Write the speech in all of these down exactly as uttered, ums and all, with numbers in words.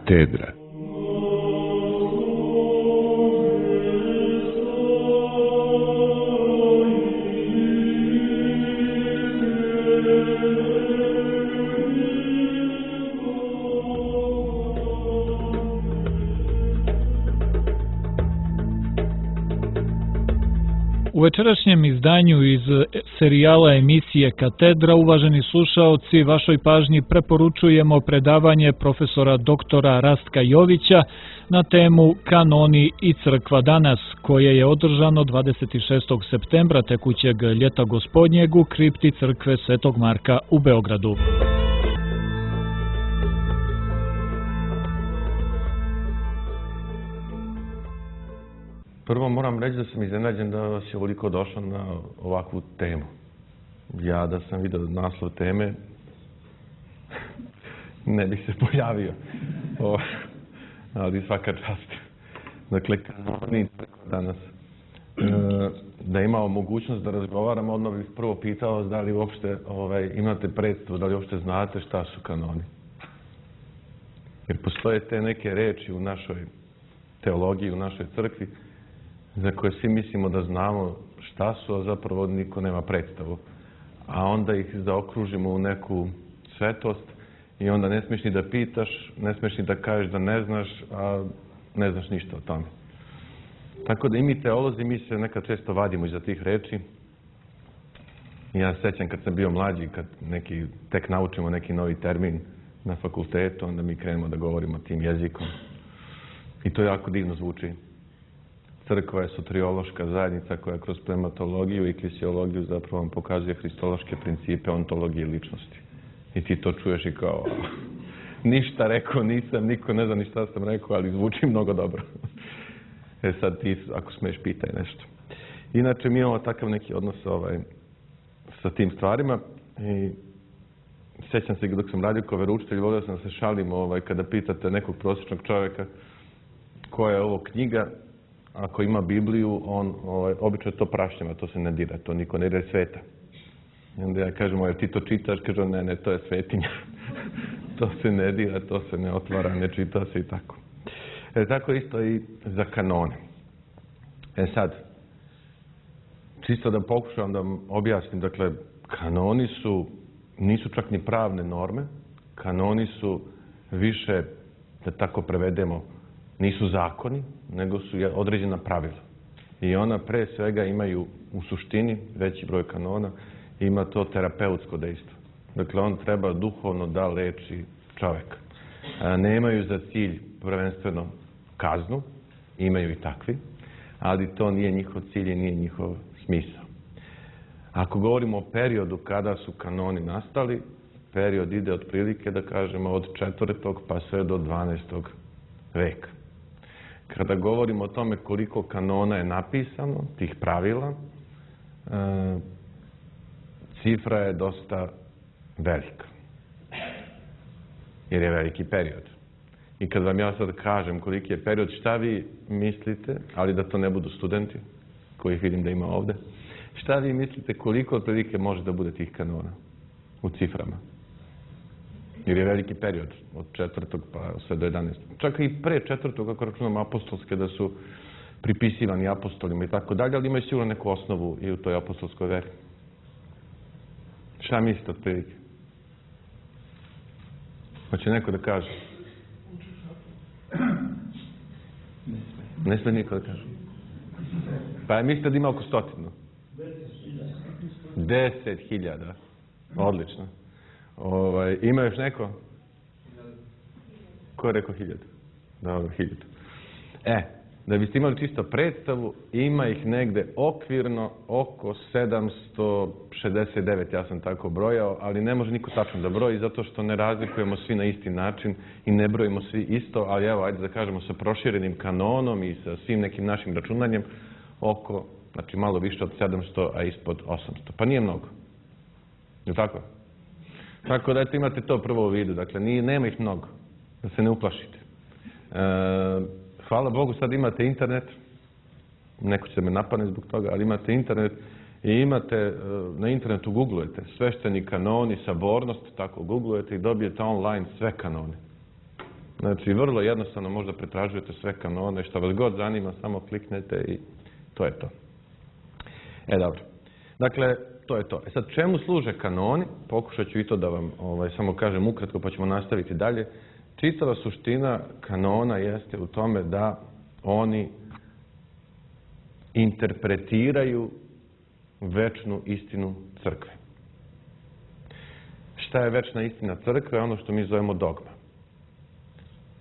Katedra. U večerašnjem izdanju iz serijala emisije Katedra, uvaženi slušaoci, vašoj pažnji preporučujemo predavanje profesora doktora Rastka Jovića na temu Kanoni i crkva danas, koje je održano dvadeset šestog septembra tekućeg ljeta gospodnjeg u kripti crkve Svetog Marka u Beogradu. Prvo moram reći da sam iznenađen da vas je ovoliko došlo na ovakvu temu. Ja da sam vidio naslov teme, ne bih se pojavio. O, ali svaka čast. Dakle, kanoni danas. E, da imao mogućnost da razgovaramo, odmah bih prvo pitao da li uopšte ovaj, imate predstavu, da li uopšte znate šta su kanoni. Jer postoje te neke reči u našoj teologiji, u našoj crkvi, za koje svi mislimo da znamo šta su, a zapravo niko nema predstavu. A onda ih zaokružimo u neku svetost i onda ne smiješ ni da pitaš, ne smiješ ni da kažeš da ne znaš, a ne znaš ništa o tome. Tako da i mi teolozi, mi se nekad često vadimo iza tih reči. Ja se sjećam kad sam bio mlađi, kad neki, tek naučimo neki novi termin na fakultetu, onda mi krenemo da govorimo tim jezikom. I to jako divno zvuči. Crkva je soteriološka zajednica koja kroz pneumatologiju i klisiologiju zapravo vam pokazuje hristološke principe ontologije ličnosti. I ti to čuješ i kao, ništa rekao nisam, niko ne zna ni šta sam rekao, ali zvuči mnogo dobro. E sad ti, ako smiješ, pitaj nešto. Inače, mi imamo takav neki odnos ovaj, sa tim stvarima i sjećam se dok sam radio kao veroučitelj, volio sam se šalim ovaj, kada pitate nekog prosječnog čovjeka koja je ovo knjiga. Ako ima Bibliju, on ovaj, obično to prašnjava, to se ne dira, to niko ne dira sveta. I onda ja kažem, jer ti to čitaš, kažem, ne, ne, to je svetinja. To se ne dira, to se ne otvara, ne čita se i tako. E, tako isto i za kanone. E sad, čisto da pokušam da objasnim, dakle, kanoni su, nisu čak ni pravne norme, kanoni su više, da tako prevedemo, nisu zakoni, nego su određena pravila. I ona pre svega imaju u suštini, veći broj kanona, ima to terapeutsko dejstvo. Dakle, on treba duhovno da leči čoveka. Nemaju za cilj prvenstveno kaznu, imaju i takvi, ali to nije njihov cilj i nije njihov smisao. Ako govorimo o periodu kada su kanoni nastali, period ide otprilike, da kažemo, od četvrtog pa sve do dvanaestog veka. Kada govorimo o tome koliko kanona je napisano, tih pravila, e, cifra je dosta velika. Jer je veliki period. I kad vam ja sad kažem koliki je period, šta vi mislite, ali da to ne budu studenti, kojih vidim da ima ovde, šta vi mislite koliko otprilike može da bude tih kanona u ciframa? Jer je veliki period, od četvrtog pa sve do jedanaestog. Čak i pre četvrtog, ako računamo apostolske, da su pripisivani apostolima i tako dalje, ali imaju sigurno neku osnovu i u toj apostolskoj veri. Šta mislite od prilike? Hoće neko da kaže? Ne sme niko da kaže. Pa mislite da ima oko stotinu? Deset hiljada. Odlično. Ovaj, ima još neko? Ko je rekao hiljadu? Dobro, hiljadu. E, da biste imali čisto predstavu, ima ih negde okvirno oko sedamsto šezdeset devet, ja sam tako brojao, ali ne može niko tačno da broji, zato što ne razlikujemo svi na isti način i ne brojimo svi isto, ali evo, ajde da kažemo, sa proširenim kanonom i sa svim nekim našim računanjem, oko, znači malo više od sedamsto, a ispod osamsto. Pa nije mnogo. Je li tako? Tako da eto, imate to prvo u vidu. Dakle, nije, nema ih mnogo. Da se ne uplašite. E, hvala Bogu, sad imate internet. Neko će me napadne zbog toga, ali imate internet i imate, na internetu googlujete svešteni kanoni, sabornost, tako googlujete i dobijete online sve kanone. Znači, vrlo jednostavno možda pretražujete sve kanone, šta vas god zanima, samo kliknete i to je to. E, dobro. Dakle, to je to. E sad, čemu služe kanoni? Pokušat ću i to da vam ovaj, samo kažem ukratko, pa ćemo nastaviti dalje. Čitava suština kanona jeste u tome da oni interpretiraju večnu istinu crkve. Šta je večna istina crkve? Ono što mi zovemo dogma.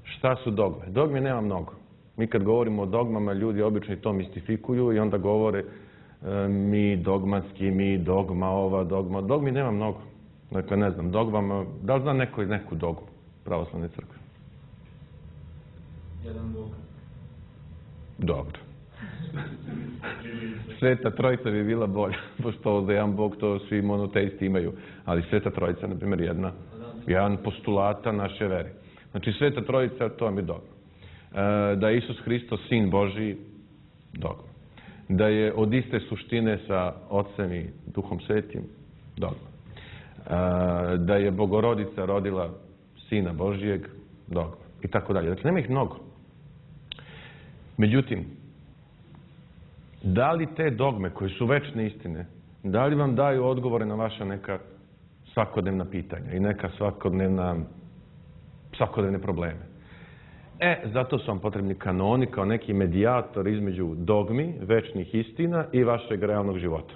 Šta su dogme? Dogme nema mnogo. Mi kad govorimo o dogmama, ljudi obično to mistifikuju i onda govore e, mi dogmatski, mi dogma, ova dogma. Dogmi nema mnogo. Dakle, ne znam, dogmama, da li zna neko iz neku dogmu pravoslavne crkve? Jedan Bog. Dobro. Sveta trojica bi bila bolja, pošto za jedan Bog to svi monoteisti imaju, ali Sveta trojica, na primjer, jedna, jedan postulata naše vere. Znači, Sveta trojica, to vam je dogma. E, da je Isus Hristos sin Božiji, dogma. Da je od iste suštine sa Otcem i Duhom Svetim, dogma. E, da je Bogorodica rodila sina Božijeg, dogma. I tako dalje. Dakle, nema ih mnogo. Međutim, da li te dogme koje su večne istine, da li vam daju odgovore na vaša neka svakodnevna pitanja i neka svakodnevna, svakodnevne probleme? E, zato su vam potrebni kanoni kao neki medijator između dogmi, večnih istina i vašeg realnog života.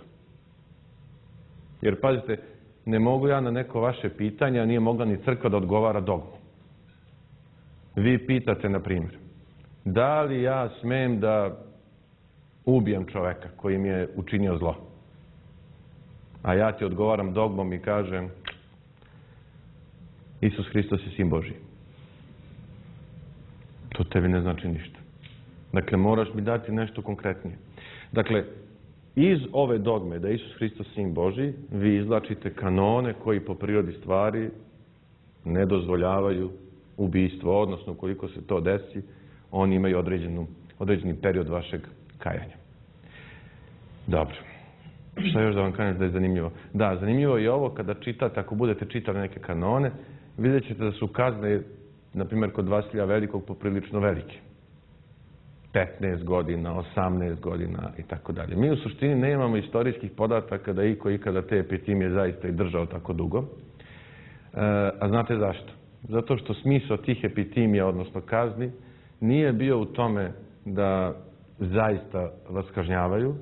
Jer, pazite, ne mogu ja na neko vaše pitanje, a nije mogla ni crkva da odgovara dogmu. Vi pitate, na primjer, da li ja smem da ubijem čoveka koji mi je učinio zlo? A ja ti odgovaram dogmom i kažem Isus Hristos je sin Božiji. To tebi ne znači ništa. Dakle, moraš mi dati nešto konkretnije. Dakle, iz ove dogme da je Isus Hristos sin Božiji, vi izvlačite kanone koji po prirodi stvari ne dozvoljavaju ubistvo, odnosno koliko se to desi, oni imaju određenu, određeni period vašeg kajanja. Dobro. Šta još da vam kažem da je zanimljivo? Da, zanimljivo je i ovo kada čitate, ako budete čitali neke kanone, vidjet ćete da su kazne, na primjer, kod Vasilija Velikog poprilično velike. petnaest godina, osamnaest godina i tako dalje. Mi u suštini nemamo istorijskih podataka da iko ikada te epitimije zaista i držao tako dugo. E, a znate zašto? Zato što smisao tih epitimija, odnosno kazni, nije bio u tome da zaista vas kažnjavaju,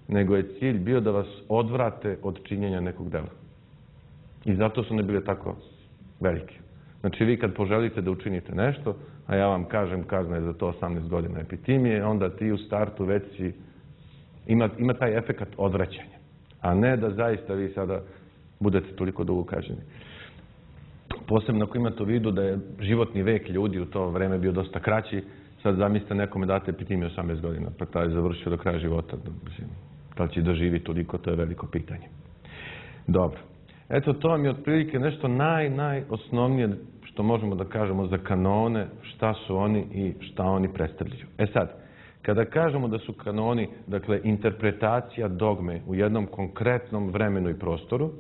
nego je cilj bio da vas odvrate od činjenja nekog dela. I zato su ne bile tako velike. Znači, vi kad poželite da učinite nešto, a ja vam kažem kazna je za to osamnaest godina epitimije, onda ti u startu već si, ima, ima taj efekat odvraćanja. A ne da zaista vi sada budete toliko dugo kažnjeni. Posebno ako imate u vidu da je životni vek ljudi u to vreme bio dosta kraći, sad zamislite nekome date epitimiju osamnaest godina, pa taj je završio do kraja života. Mislim, da li će doživjeti toliko, to je veliko pitanje. Dobro. Eto, to vam je otprilike nešto naj, najosnovnije što možemo da kažemo za kanone, šta su oni i šta oni predstavljaju. E sad, kada kažemo da su kanoni, dakle, interpretacija dogme u jednom konkretnom vremenu i prostoru,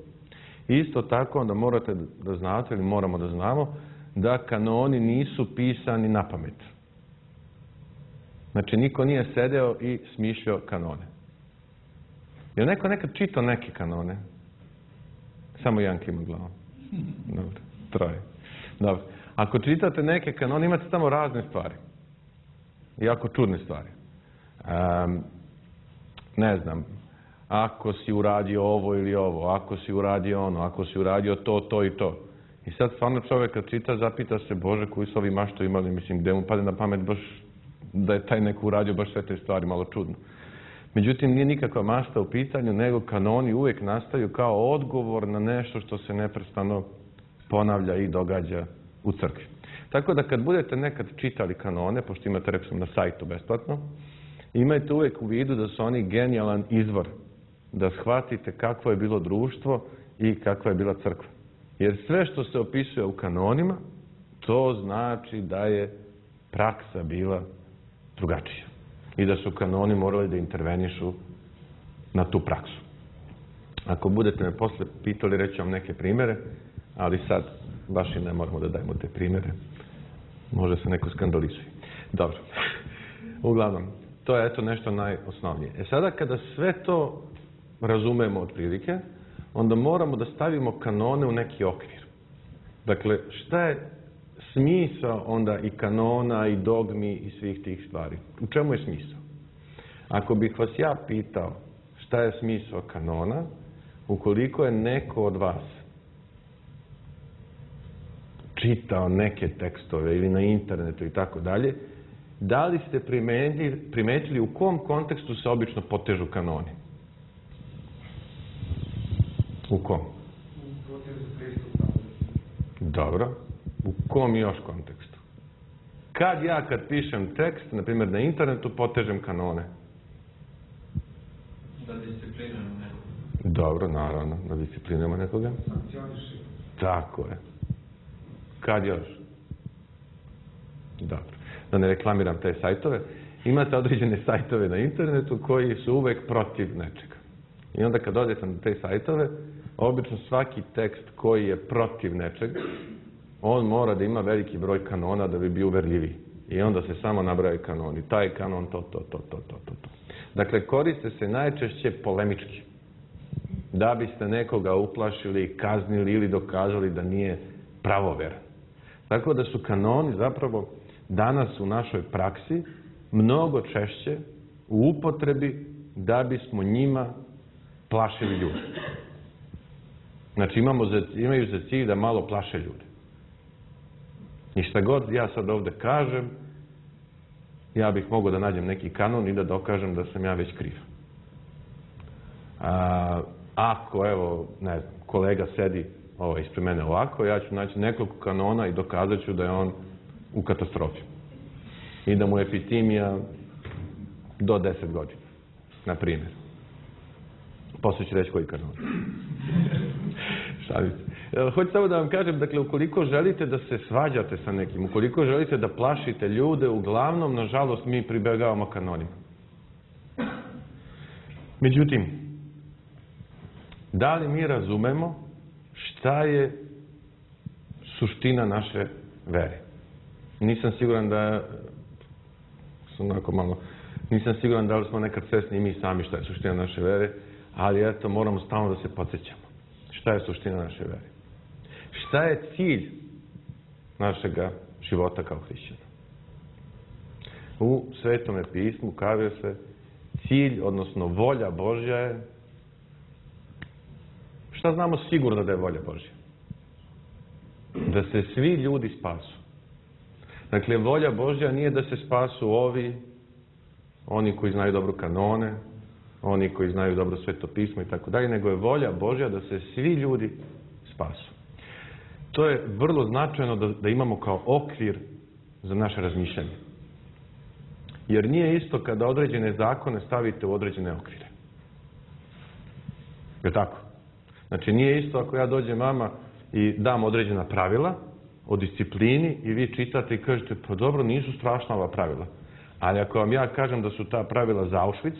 isto tako onda morate da znate, ili moramo da znamo, da kanoni nisu pisani na pamet. Znači, niko nije sedeo i smišljao kanone. Je li neko nekad čitao neke kanone? Samo jedan klima glavom. Dobro, troje. Dobro. Ako čitate neke kanone, imate tamo razne stvari. Jako čudne stvari. Um, ne znam, ako si uradio ovo ili ovo, ako si uradio ono, ako si uradio to, to i to. I sad stvarno čovjek kad čita, zapita se, Bože, koji su ovi mašto imali, mislim, gde mu pade na pamet baš da je taj neko uradio baš sve te stvari, malo čudno. Međutim, nije nikakva mašta u pitanju, nego kanoni uvijek nastaju kao odgovor na nešto što se neprestano ponavlja i događa u crkvi. Tako da kad budete nekad čitali kanone, pošto imate, rekao sam, na sajtu besplatno, imajte uvijek u vidu da su oni genijalan izvor, da shvatite kakvo je bilo društvo i kakva je bila crkva. Jer sve što se opisuje u kanonima, to znači da je praksa bila drugačija. I da su kanoni morali da intervenišu na tu praksu. Ako budete me posle pitali, reći vam neke primere, ali sad baš i ne moramo da dajemo te primere. Može se neko skandalizuje. Dobro. Uglavnom, to je eto nešto najosnovnije. E sada kada sve to razumemo otprilike, onda moramo da stavimo kanone u neki okvir. Dakle, šta je smisao onda i kanona i dogmi i svih tih stvari? U čemu je smisao? Ako bih vas ja pitao šta je smisao kanona, ukoliko je neko od vas čitao neke tekstove ili na internetu i tako dalje, da li ste primetili, primetili u kom kontekstu se obično potežu kanoni? U kom? Dobro. U kom još kontekstu? Kad ja kad pišem tekst, na primjer na internetu, potežem kanone? Da disciplinujemo nekoga. Dobro, naravno, da disciplinujemo nekoga. Sankcioniši. Tako je. Kad još? Dobro. Da ne reklamiram te sajtove. Imate određene sajtove na internetu koji su uvek protiv nečega. I onda kad odete na te sajtove, obično svaki tekst koji je protiv nečega, on mora da ima veliki broj kanona da bi bio uverljiviji. I onda se samo nabraju kanoni. Taj kanon, to, to, to, to, to, to. Dakle, koriste se najčešće polemički. Da biste nekoga uplašili, kaznili ili dokazali da nije pravoveran. Tako da su kanoni zapravo danas u našoj praksi mnogo češće u upotrebi da bismo njima plašili ljude. Znači imamo za, imaju za cilj da malo plaše ljude. I šta god ja sad ovde kažem, ja bih mogao da nađem neki kanon i da dokažem da sam ja već kriv. A, ako, evo, ne znam, kolega sedi ovo, ispred mene ovako, ja ću naći nekoliko kanona i dokazat ću da je on u katastrofi. I da mu je epitimija do deset godina, na primjer. Posle ću reći koji kanon. Šalim se. Hoću samo da vam kažem, dakle, ukoliko želite da se svađate sa nekim, ukoliko želite da plašite ljude, uglavnom, nažalost, mi pribegavamo kanonima. Međutim, da li mi razumemo šta je suština naše vere? Nisam siguran da sam onako malo, nisam siguran da li smo nekad svesni i mi sami šta je suština naše vere, ali eto, moramo stalno da se podsjećamo. Šta je suština naše vere? Šta je cilj našega života kao hrišćana? U Svetome pismu kaže se cilj, odnosno volja Božja je. Šta znamo sigurno da je volja Božja? Da se svi ljudi spasu. Dakle, volja Božja nije da se spasu ovi, oni koji znaju dobro kanone, oni koji znaju dobro Sveto pismo i tako dalje, nego je volja Božja da se svi ljudi spasu. To je vrlo značajno da, da imamo kao okvir za naše razmišljanje. Jer nije isto kada određene zakone stavite u određene okvire. Je tako? Znači nije isto ako ja dođem vama i dam određena pravila o disciplini i vi čitate i kažete pa dobro, nisu strašna ova pravila. Ali ako vam ja kažem da su ta pravila za Auschwitz,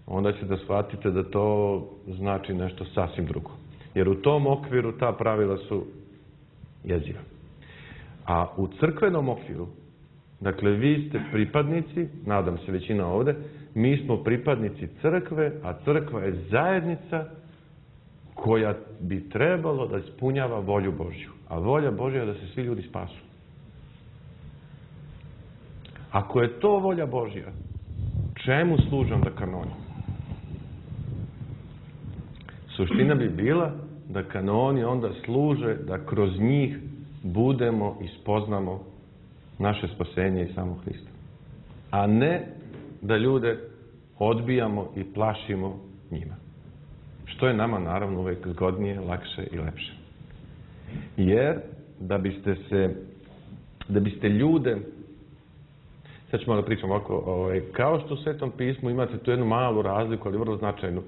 onda ćete da shvatite da to znači nešto sasvim drugo. Jer u tom okviru ta pravila su jeziva. A u crkvenom okviru, dakle vi ste pripadnici, nadam se većina ovde, mi smo pripadnici crkve, a crkva je zajednica koja bi trebalo da ispunjava volju Božju. A volja Božja je da se svi ljudi spasu. Ako je to volja Božja, čemu služe onda kanoni? Suština bi bila da kanoni onda služe da kroz njih budemo i spoznamo naše spasenje i samo Hrista. A ne da ljude odbijamo i plašimo njima. Što je nama naravno uvek zgodnije, lakše i lepše. Jer da biste se, da biste ljude, sad ću malo pričam ovako, ovaj, kao što u Svetom pismu imate tu jednu malu razliku, ali vrlo značajnu.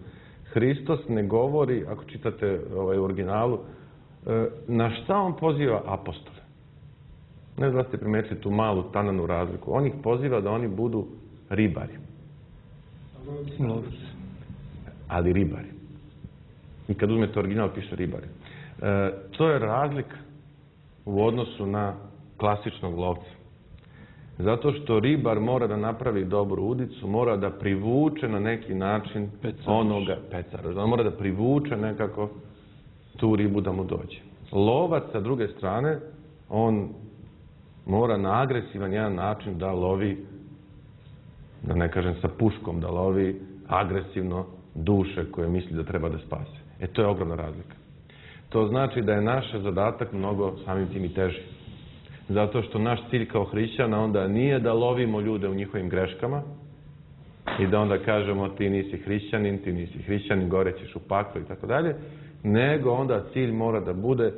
Hristos ne govori, ako čitate ovaj, u originalu, na šta on poziva apostole. Ne znam da ste primetili tu malu tananu razliku. On ih poziva da oni budu ribari. Ali ribari. I kad uzmete original piše ribari. E, to je razlika u odnosu na klasičnog lovca. Zato što ribar mora da napravi dobru udicu, mora da privuče na neki način Pecaroš. onoga pecaroš. On mora da privuče nekako tu ribu da mu dođe. Lovac, sa druge strane, on mora na agresivan jedan način da lovi, da ne kažem sa puškom, da lovi agresivno duše koje misli da treba da spase. E, to je ogromna razlika. To znači da je naš zadatak mnogo samim tim i teži. Zato što naš cilj kao hrišćana onda nije da lovimo ljude u njihovim greškama i da onda kažemo ti nisi hrišćanin, ti nisi hrišćanin, gore ćeš u paklu i tako dalje, nego onda cilj mora da bude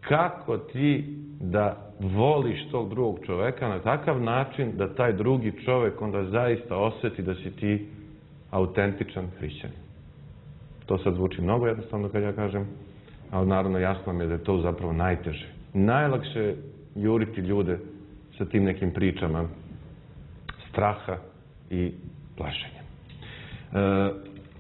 kako ti da voliš tog drugog čoveka na takav način da taj drugi čovek onda zaista osjeti da si ti autentičan hrišćanin. To sad zvuči mnogo jednostavno kad ja kažem, ali naravno jasno mi je da je to zapravo najteže. Najlakše je juriti ljude sa tim nekim pričama straha i plašenja. E,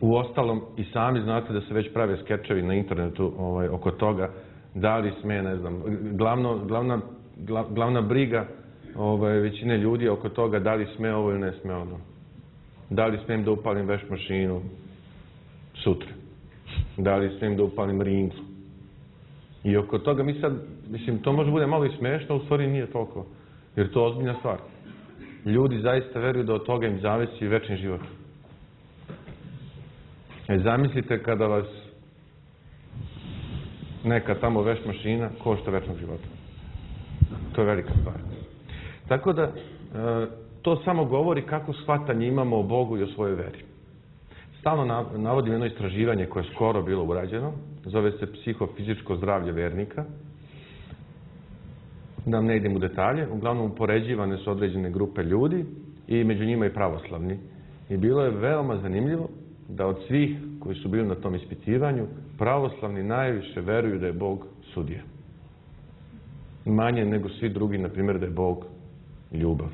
u ostalom, i sami znate da se već prave skečevi na internetu ovaj, oko toga da li sme, ne znam, glavno, glavna, glav, glavna briga ovaj, većine ljudi oko toga da li sme ovo ili ne sme ono. Da li smijem da upalim veš mašinu sutra? Da li smijem da upalim ringlu? I oko toga mi sad, mislim, to može bude malo i smešno, u stvari nije toliko. Jer to je ozbiljna stvar. Ljudi zaista veruju da od toga im zavisi večni život. E, zamislite kada vas neka tamo veš mašina košta večnog života. To je velika stvar. Tako da, e, to samo govori kako shvatanje imamo o Bogu i o svojoj veri. Stalno navodim jedno istraživanje koje je skoro bilo urađeno, zove se psihofizičko zdravlje vernika. Da ne idem u detalje, uglavnom upoređivane su određene grupe ljudi i među njima i pravoslavni. I bilo je veoma zanimljivo da od svih koji su bili na tom ispitivanju, pravoslavni najviše veruju da je Bog sudija. Manje nego svi drugi, na primjer, da je Bog ljubav.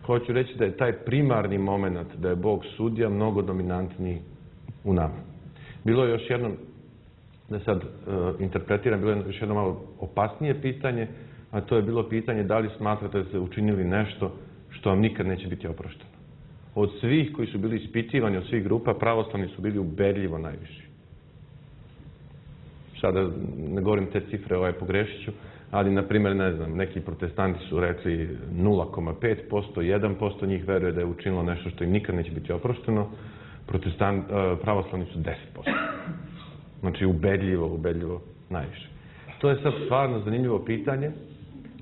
Hoću reći da je taj primarni moment da je Bog sudija mnogo dominantniji u nama. Bilo je još jedno, da sad uh, interpretiram, bilo je još jedno malo opasnije pitanje, a to je bilo pitanje da li smatrate da ste učinili nešto što vam nikad neće biti oprošteno. Od svih koji su bili ispitivani, od svih grupa, pravoslavni su bili ubedljivo najviši. Sada ne govorim te cifre, ovaj pogrešit ću, ali, na primjer, ne znam, neki protestanti su rekli nula zarez pet posto, jedan posto njih veruje da je učinilo nešto što im nikad neće biti oprošteno, protestant, pravoslavni su deset posto. Znači, ubedljivo, ubedljivo najviše. To je sad stvarno zanimljivo pitanje,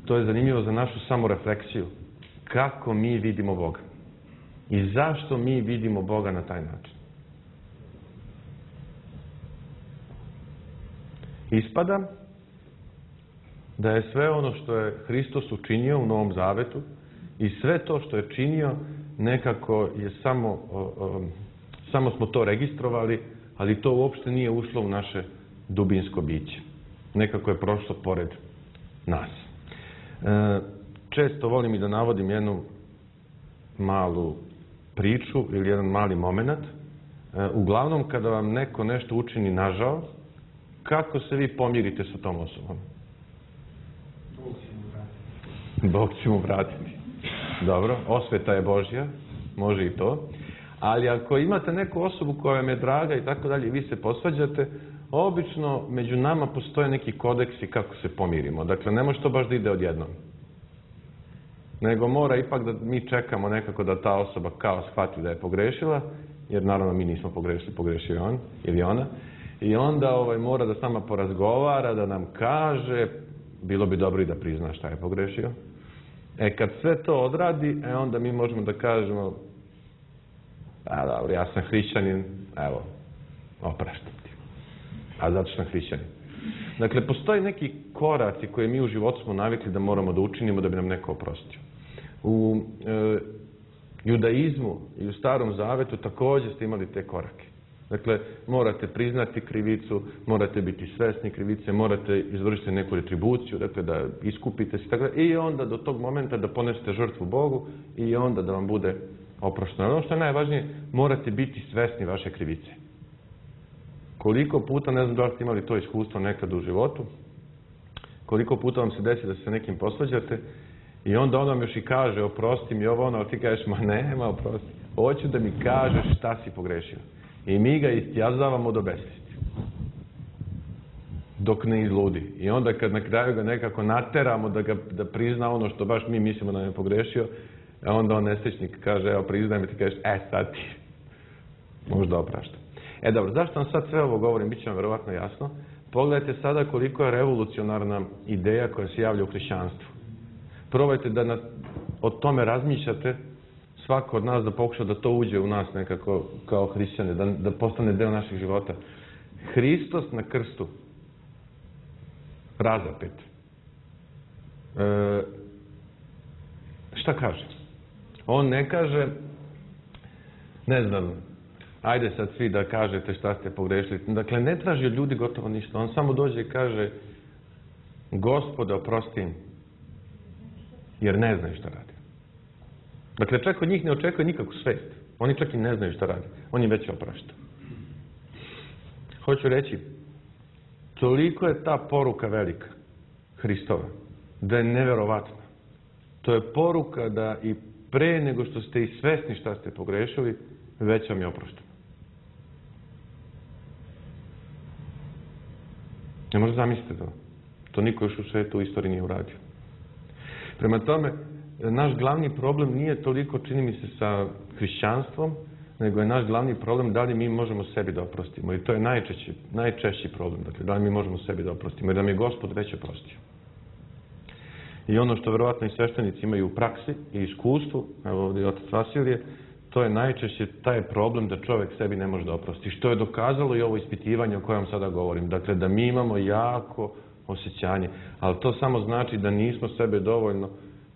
to je zanimljivo za našu samorefleksiju. Kako mi vidimo Boga? I zašto mi vidimo Boga na taj način? Ispada da je sve ono što je Hristos učinio u Novom Zavetu i sve to što je činio nekako je samo, o, o, samo smo to registrovali, ali to uopšte nije ušlo u naše dubinsko biće. Nekako je prošlo pored nas. E, često volim i da navodim jednu malu priču ili jedan mali moment. E, uglavnom, kada vam neko nešto učini nažao, kako se vi pomirite sa tom osobom? Bog će mu vratiti. Dobro, osveta je Božja, može i to. Ali ako imate neku osobu koja vam je draga i tako dalje i vi se posvađate, obično među nama postoje neki kodeksi kako se pomirimo. Dakle, ne može to baš da ide odjednom. Nego mora ipak da mi čekamo nekako da ta osoba kao shvati da je pogrešila, jer naravno mi nismo pogrešili, pogrešio on ili ona. I onda ovaj, mora da s nama porazgovara, da nam kaže, bilo bi dobro i da prizna šta je pogrešio. E, kad sve to odradi, e, onda mi možemo da kažemo, a dobro, ja sam hrišćanin, evo, opraštam ti. A zato što sam hrišćanin. Dakle, postoji neki koraci koje mi u životu smo navikli da moramo da učinimo da bi nam neko oprostio. U e, judaizmu i u Starom Zavetu također ste imali te korake. Dakle, morate priznati krivicu, morate biti svesni krivice, morate izvršiti neku retribuciju, dakle da iskupite se, tako da, i onda do tog momenta da ponesete žrtvu Bogu i onda da vam bude oprošteno. Ono što je najvažnije, morate biti svesni vaše krivice. Koliko puta, ne znam da li ste imali to iskustvo nekad u životu, Koliko puta vam se desi da se sa nekim posvađate i onda on vam još i kaže oprosti mi ovo ono, ali ti kažeš ma nema oprosti. Hoću da mi kažeš šta si pogrešio. I mi ga istjazavamo do besvijesti. Dok ne izludi. I onda kad na kraju ga nekako nateramo da, ga, da prizna ono što baš mi mislimo da je pogrešio, onda on nesrećnik kaže, evo priznaj mi, ti kažeš, e sad ti možda oprašta. E dobro, zašto vam sad sve ovo govorim, bit će vam verovatno jasno. Pogledajte sada koliko je revolucionarna ideja koja se javlja u hrišćanstvu. Probajte da na, o tome razmišljate, svako od nas da pokuša da to uđe u nas nekako kao hrišćane, da, da postane deo naših života. Hristos na krstu, razapet. E, šta kaže? On ne kaže, ne znam, ajde sad svi da kažete šta ste pogrešili. Dakle, ne traži od ljudi gotovo ništa. On samo dođe i kaže, Gospode, oprosti im, jer ne znaju šta radi. Dakle, čak od njih ne očekuje nikakvu svest. Oni čak i ne znaju šta radi. On im već oprašta. Hoću reći, toliko je ta poruka velika, Hristova, da je neverovatna. To je poruka da i pre nego što ste i svesni šta ste pogrešili, već vam je oprošteno. Ne možete zamisliti to. To niko još u svetu u istoriji nije uradio. Prema tome, naš glavni problem nije toliko, čini mi se, sa hrišćanstvom, nego je naš glavni problem da li mi možemo sebi da oprostimo. I to je najčešći, najčešći problem. Dakle, da li mi možemo sebi da oprostimo. Jer nam je Gospod već oprostio. I ono što verovatno i sveštenici imaju u praksi i iskustvu, evo ovdje je otac Vasilije, to je najčešće taj problem da čovjek sebi ne može da oprosti. Što je dokazalo i ovo ispitivanje o kojem sada govorim. Dakle, da mi imamo jako osjećanje. Ali to samo znači da nismo sebe dovoljno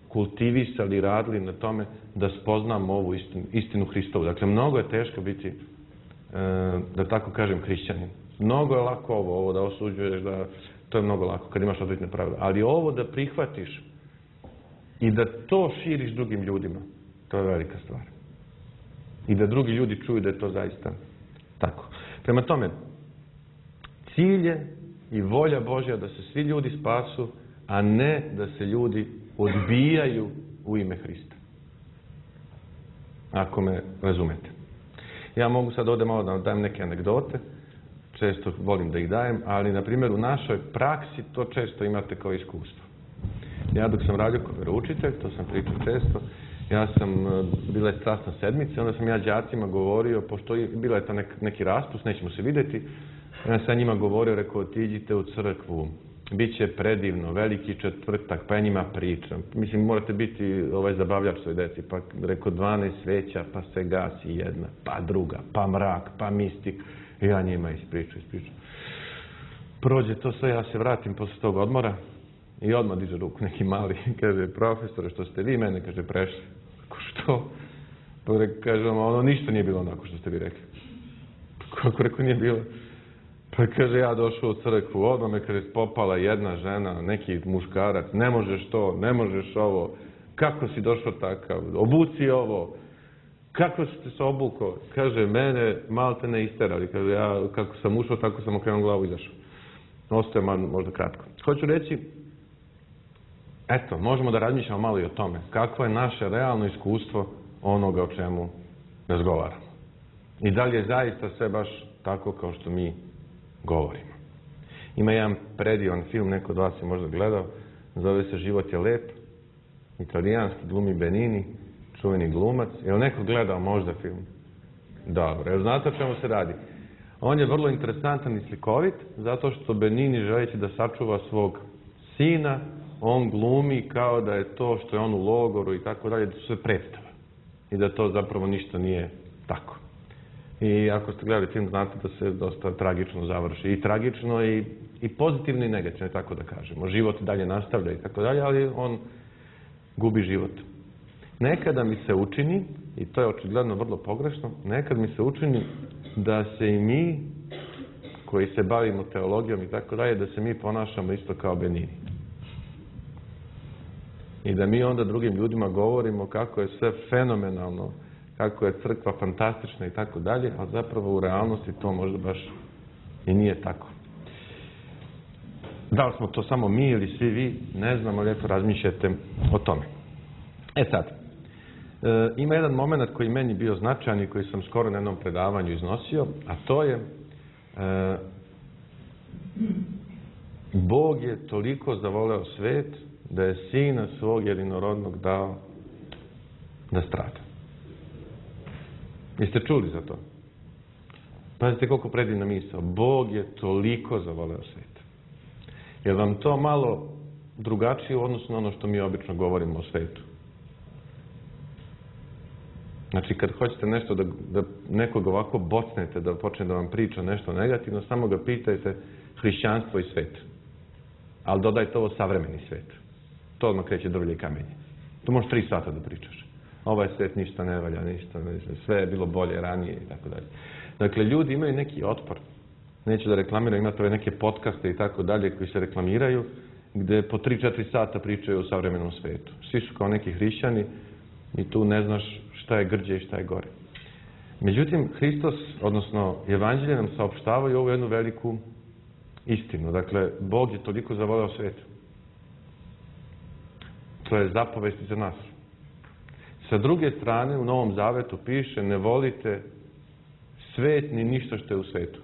kultivisali i radili na tome da spoznamo ovu istinu, istinu Hristovu. Dakle, mnogo je teško biti, e, da tako kažem, hrišćanin. Mnogo je lako ovo, ovo da osuđuješ, da to je mnogo lako kad imaš određene pravila. Ali ovo da prihvatiš i da to širiš drugim ljudima, to je velika stvar. I da drugi ljudi čuju da je to zaista tako. Prema tome, cilj je i volja Božja da se svi ljudi spasu, a ne da se ljudi odbijaju u ime Hrista. Ako me razumete. Ja mogu sad ovdje malo da vam dajem neke anegdote, često volim da ih dajem, ali na primjer u našoj praksi to često imate kao iskustvo. Ja dok sam radio kao veroučitelj, to sam pričao često, ja sam, bila je strasna sedmica, onda sam ja đacima govorio, pošto je, bila je ta nek, neki raspust, nećemo se vidjeti, ja sam njima govorio, rekao, otiđite u crkvu, bit će predivno, veliki četvrtak, pa ja njima pričam. Mislim, morate biti ovaj zabavljač svoj deci, pa rekao dvanaest sveća, pa se gasi jedna, pa druga, pa mrak, pa mistik. I ja njima ispričam, ispričam. Prođe to sve, ja se vratim posle tog odmora i odmah diže ruku neki mali, kaže, profesore, što ste vi mene, kaže, prešli. Kako što? Pa kaže, ono ništa nije bilo onako što ste vi rekli. Kako rekao nije bilo? Pa kaže, ja došao u crkvu, odmah me kaže, popala jedna žena, neki muškarac, ne možeš to, ne možeš ovo, kako si došao takav, obuci ovo, kako si se obukao, kaže, mene malo te ne isterali, kaže, ja kako sam ušao, tako sam okrenuo glavu i izašao. Ostaje možda kratko. Hoću reći, eto, možemo da razmišljamo malo i o tome, kakvo je naše realno iskustvo onoga o čemu razgovaramo. I da li je zaista sve baš tako kao što mi govorimo. Ima jedan predivan film, neko od vas je možda gledao, zove se Život je lep, italijanski, glumi Benini, čuveni glumac. Je li neko gledao možda film? Dobro, jel znate o čemu se radi? On je vrlo interesantan i slikovit, zato što Benini, želeći da sačuva svog sina, on glumi kao da je to što je on u logoru i tako dalje, da su sve predstava. I da to zapravo ništa nije tako. I ako ste gledali film, znate da se dosta tragično završi. I tragično i, i pozitivno i negativno, tako da kažemo. Život dalje nastavlja i tako dalje, ali on gubi život. Nekada mi se učini, i to je očigledno vrlo pogrešno, nekad mi se učini da se i mi, koji se bavimo teologijom i tako dalje, da se mi ponašamo isto kao Benini. I da mi onda drugim ljudima govorimo kako je sve fenomenalno, kako je crkva fantastična i tako dalje, a zapravo u realnosti to možda baš i nije tako. Da li smo to samo mi ili svi vi, ne znam, ali eto razmišljajte o tome. E sad, e, ima jedan moment koji meni bio značajan i koji sam skoro na jednom predavanju iznosio, a to je e, Bog je toliko zavoleo svet da je Sina svog jedinorodnog dao da strada. Jeste čuli za to? Pazite koliko predivna misao. Bog je toliko zavoleo svet. Je vam to malo drugačije u odnosu na ono što mi obično govorimo o svetu? Znači, kad hoćete nešto da, da nekog ovako bocnete, da počne da vam priča nešto negativno, samo ga pitajte hrišćanstvo i svet. Ali dodajte ovo savremeni svet. To odmah kreće drvlje i kamenje. To možeš tri sata da pričaš. Ovaj svet ništa ne valja, ništa, sve je bilo bolje ranije i tako dalje. Dakle, ljudi imaju neki otpor. Neću da reklamiraju, imate ove neke podcaste i tako dalje koji se reklamiraju, gde po tri četiri sata pričaju o savremenom svetu. Svi su kao neki hrišćani i tu ne znaš šta je grđe i šta je gore. Međutim, Hristos, odnosno Evanđelje nam saopštavaju ovu jednu veliku istinu. Dakle, Bog je toliko zavoleo svet. To je zapovest za nas. Sa druge strane, u Novom Zavetu piše ne volite svet ni ništa što je u svetu.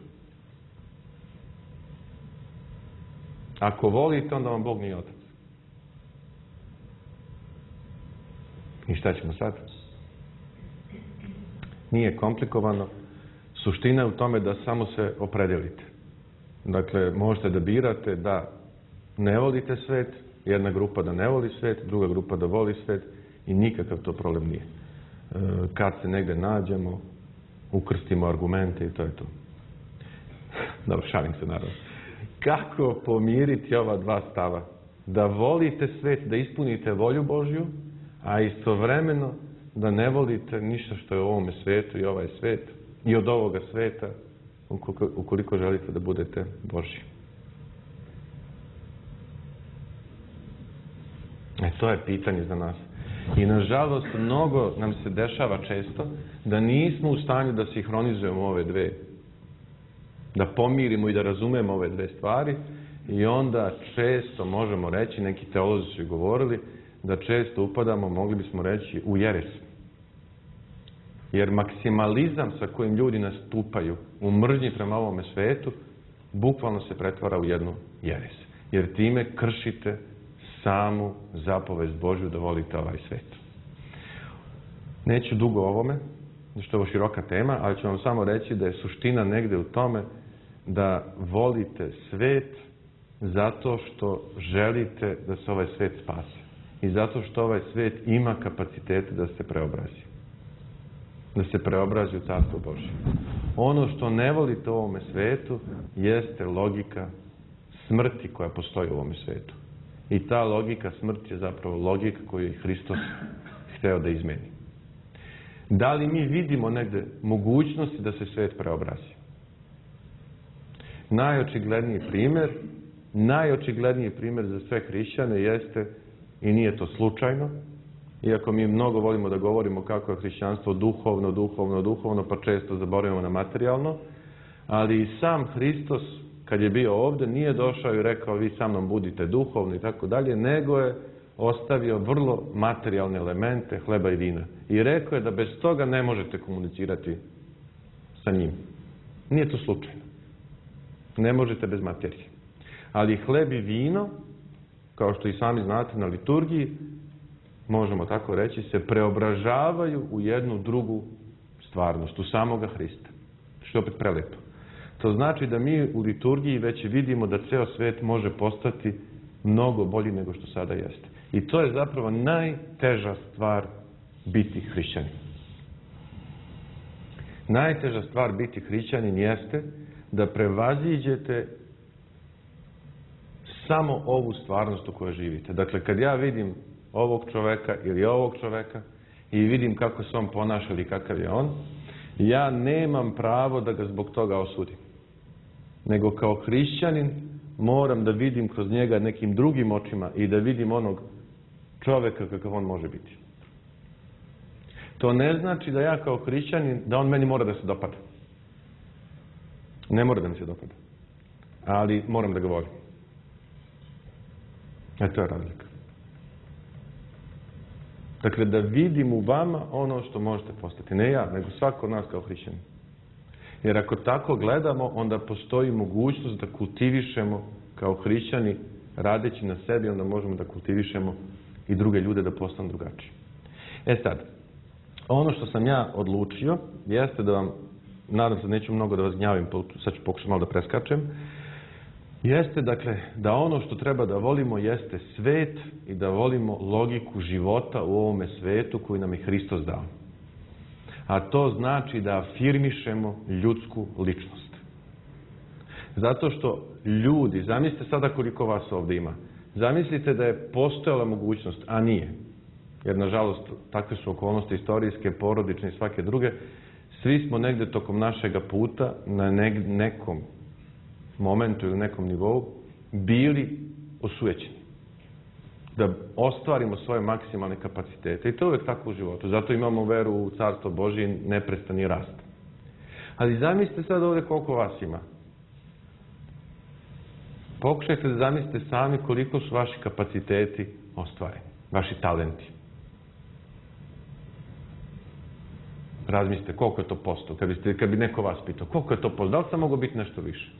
Ako volite, onda vam Bog nije otac. I šta ćemo sad? Nije komplikovano. Suština je u tome da samo se opredelite. Dakle, možete da birate da ne volite svet, jedna grupa da ne voli svet, druga grupa da voli svet i nikakav to problem nije. Kad se negde nađemo, ukrstimo argumente i to je to. Dobro, šalim se naravno. Kako pomiriti ova dva stava? Da volite svet, da ispunite volju Božju, a istovremeno da ne volite ništa što je u ovome svetu i ovaj svet i od ovoga sveta ukoliko, ukoliko želite da budete Božji. E, to je pitanje za nas. I nažalost, mnogo nam se dešava često da nismo u stanju da sinhronizujemo ove dve, da pomirimo i da razumemo ove dve stvari i onda često možemo reći, neki teolozi su govorili, da često upadamo, mogli bismo reći, u jeres. Jer maksimalizam sa kojim ljudi nastupaju u mržnji prema ovome svetu, bukvalno se pretvara u jednu jeres. Jer time kršite samu zapovest Božju da volite ovaj svet. Neću dugo o ovome, što je ovo široka tema, ali ću vam samo reći da je suština negde u tome da volite svet zato što želite da se ovaj svet spase. I zato što ovaj svet ima kapacitete da se preobrazi. Da se preobrazi u Carstvo Božje. Ono što ne volite u ovome svetu jeste logika smrti koja postoji u ovome svetu. I ta logika smrti je zapravo logika koju je Hristos hteo da izmeni. Da li mi vidimo negde mogućnosti da se svet preobrazi? Najočigledniji primjer, najočigledniji primjer za sve hrišćane jeste, i nije to slučajno, iako mi mnogo volimo da govorimo kako je hrišćanstvo duhovno, duhovno, duhovno, pa često zaboravimo na materijalno, ali i sam Hristos, kad je bio ovdje, nije došao i rekao vi sa mnom budite duhovni i tako dalje, nego je ostavio vrlo materijalne elemente hleba i vina. I rekao je da bez toga ne možete komunicirati sa njim. Nije to slučajno. Ne možete bez materije. Ali hleb i vino, kao što i sami znate na liturgiji, možemo tako reći, se preobražavaju u jednu drugu stvarnost, u samoga Hrista. Što je opet prelepo. To znači da mi u liturgiji već vidimo da ceo svet može postati mnogo bolji nego što sada jeste. I to je zapravo najteža stvar biti hrišćanin. Najteža stvar biti hrišćanin jeste da prevaziđete samo ovu stvarnost u kojoj živite. Dakle, kad ja vidim ovog čoveka ili ovog čoveka i vidim kako se on ponaša ili kakav je on, ja nemam pravo da ga zbog toga osudim. Nego kao hrišćanin moram da vidim kroz njega nekim drugim očima i da vidim onog čoveka kakav on može biti. To ne znači da ja kao hrišćanin, da on meni mora da se dopada. Ne mora da mi se dopada. Ali moram da ga volim. E to je razlika. Dakle, da vidim u vama ono što možete postati. Ne ja, nego svako od nas kao hrišćanin. Jer ako tako gledamo, onda postoji mogućnost da kultivišemo kao hrišćani, radeći na sebi, onda možemo da kultivišemo i druge ljude da postanu drugačiji. E sad, ono što sam ja odlučio, jeste da vam, nadam se neću mnogo da vas gnjavim, sad ću pokušati malo da preskačem, jeste, dakle, da ono što treba da volimo jeste svet i da volimo logiku života u ovome svetu koju nam je Hristos dao. A to znači da afirmišemo ljudsku ličnost. Zato što ljudi, zamislite sada koliko vas ovdje ima, zamislite da je postojala mogućnost, a nije, jer nažalost takve su okolnosti istorijske, porodične i svake druge, svi smo negde tokom našega puta na nekom momentu ili nekom nivou bili osujećeni. Da ostvarimo svoje maksimalne kapacitete. I to je uvijek tako u životu. Zato imamo veru u Carstvo Božje i neprestani rast. Ali zamislite sad ovdje koliko vas ima. Pokušajte da zamislite sami koliko su vaši kapaciteti ostvareni. Vaši talenti. Razmislite koliko je to posto. Kad, biste, kad bi neko vas pitao koliko je to posto. Da li sam mogao biti nešto više?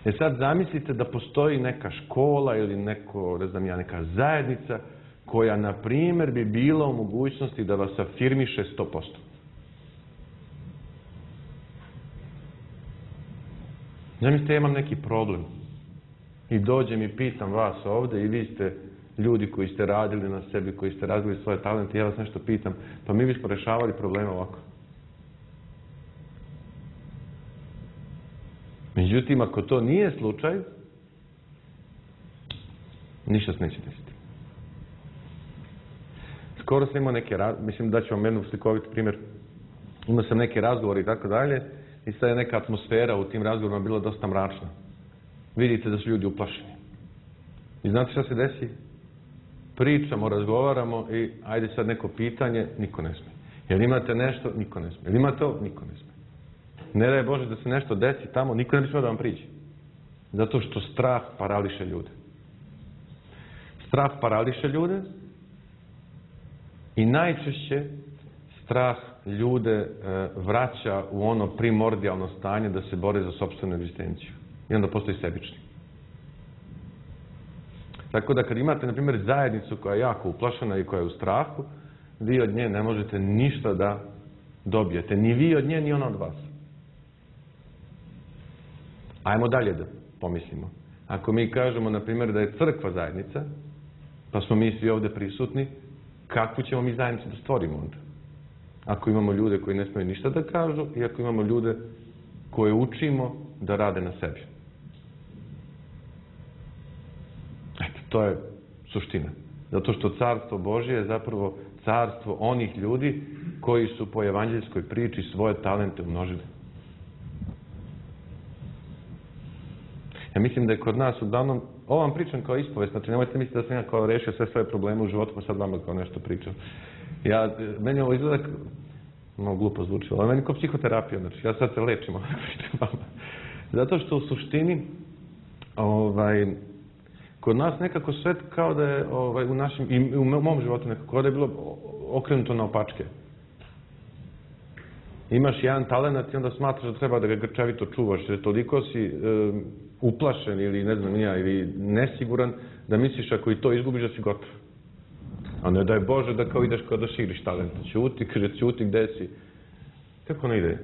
E sad zamislite da postoji neka škola ili neko, ne znam ja, neka zajednica koja, na primjer, bi bila u mogućnosti da vas afirmiše sto posto. Zamislite, ja imam neki problem i dođem i pitam vas ovdje i vi ste ljudi koji ste radili na sebi, koji ste razvili svoje talente i ja vas nešto pitam, pa mi bismo rešavali probleme ovako. Međutim, ako to nije slučaj, ništa se neće desiti. Skoro sam imao neke, mislim da ću vam jednu slikovit primjer, imao sam neke razgovore i tako dalje i sad je neka atmosfera u tim razgovorima bila dosta mračna. Vidite da su ljudi uplašeni. I znate šta se desi? Pričamo, razgovaramo i ajde sad neko pitanje, niko ne smije. Jel imate nešto? Niko ne smije. Jel imate ovo? Niko ne smije. Ne daj Bože da se nešto desi tamo, niko ne bi smio da vam priđe. Zato što strah parališe ljude. Strah parališe ljude i najčešće strah ljude e, vraća u ono primordijalno stanje da se bore za sopstvenu egzistenciju. I onda postoji sebični. Tako da kad imate, na primjer, zajednicu koja je jako uplašena i koja je u strahu, vi od nje ne možete ništa da dobijete. Ni vi od nje, ni ona od vas. Ajmo dalje da pomislimo. Ako mi kažemo, na primjer, da je crkva zajednica, pa smo mi svi ovdje prisutni, kakvu ćemo mi zajednicu da stvorimo onda? Ako imamo ljude koji ne smiju ništa da kažu i ako imamo ljude koje učimo da rade na sebi. Eto, to je suština. Zato što Carstvo Božje je zapravo carstvo onih ljudi koji su po evanđeljskoj priči svoje talente umnožili. Ja mislim da je kod nas uglavnom, ovo vam pričam kao ispovest, znači nemojte misliti da sam ja kao rešio sve svoje probleme u životu, pa sad vama kao nešto pričam. Ja, meni ovo izgleda, malo glupo zvuči, ali meni kao psihoterapija, znači ja sad se lečim ovo pričam vama. Zato što u suštini, ovaj, kod nas nekako sve kao da je ovaj, u našem, i u mom životu nekako da je bilo okrenuto na opačke. Imaš jedan talenat i onda smatraš da treba da ga grčevito čuvaš, jer toliko si e, uplašen ili ne znam ja, ili nesiguran da misliš ako i to izgubiš da si gotov. A ne daj Bože da kao ideš kao da širiš talent. Ćuti, kaže ćuti gde si. Kako ne ide?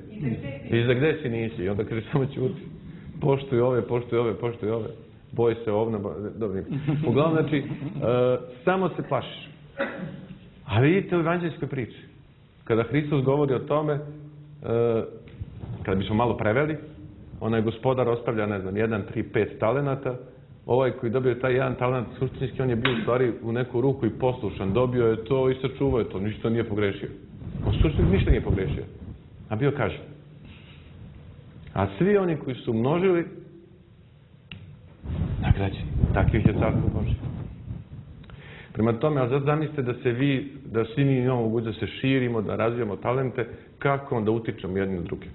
I za gde si nisi. I onda kaže samo ćuti. Poštuj ove, poštuj ove, poštuj ove. Boj se ovna. Dobro. Uglavnom, znači, e, samo se plašiš. A vidite u evanđeljskoj priči. Kada Hristos govori o tome, e, kada bismo malo preveli, onaj gospodar ostavlja, ne znam, jedan, tri, pet talenata. Ovaj koji dobio taj jedan talent, suštinski on je bio u stvari u neku ruku i poslušan. Dobio je to i sačuvao je to. Ništa nije pogrešio. On suštinski ništa nije pogrešio. A bio kažen. A svi oni koji su množili, nagrađeni. Takvih je Carstvo Božje. Prema tome, ali zato zamislite da se vi, da svi mi imamo mogućnost da se širimo, da razvijamo talente, kako onda utičemo jedni na druge.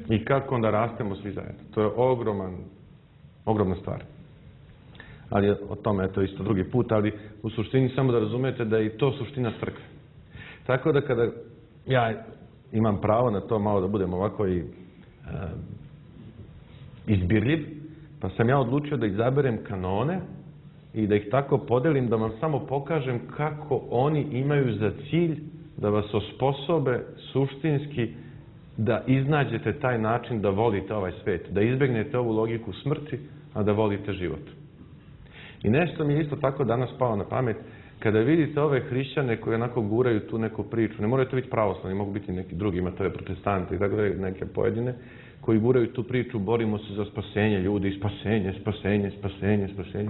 I kako onda rastemo svi zajedno. To je ogroman, ogromna stvar. ali o tome je to isto drugi put, ali u suštini samo da razumijete da je i to suština crkve. Tako da kada ja imam pravo na to malo da budem ovako i e, izbirljiv, pa sam ja odlučio da izaberem kanone i da ih tako podelim, da vam samo pokažem kako oni imaju za cilj da vas osposobe suštinski da iznađete taj način da volite ovaj svet, da izbegnete ovu logiku smrti, a da volite život. I nešto mi je isto tako danas palo na pamet, kada vidite ove hrišćane koji onako guraju tu neku priču, ne moraju to biti pravoslavni, mogu biti neki drugi, imate ove protestante i tako da neke pojedine, koji guraju tu priču, borimo se za spasenje ljudi, spasenje, spasenje, spasenje, spasenje.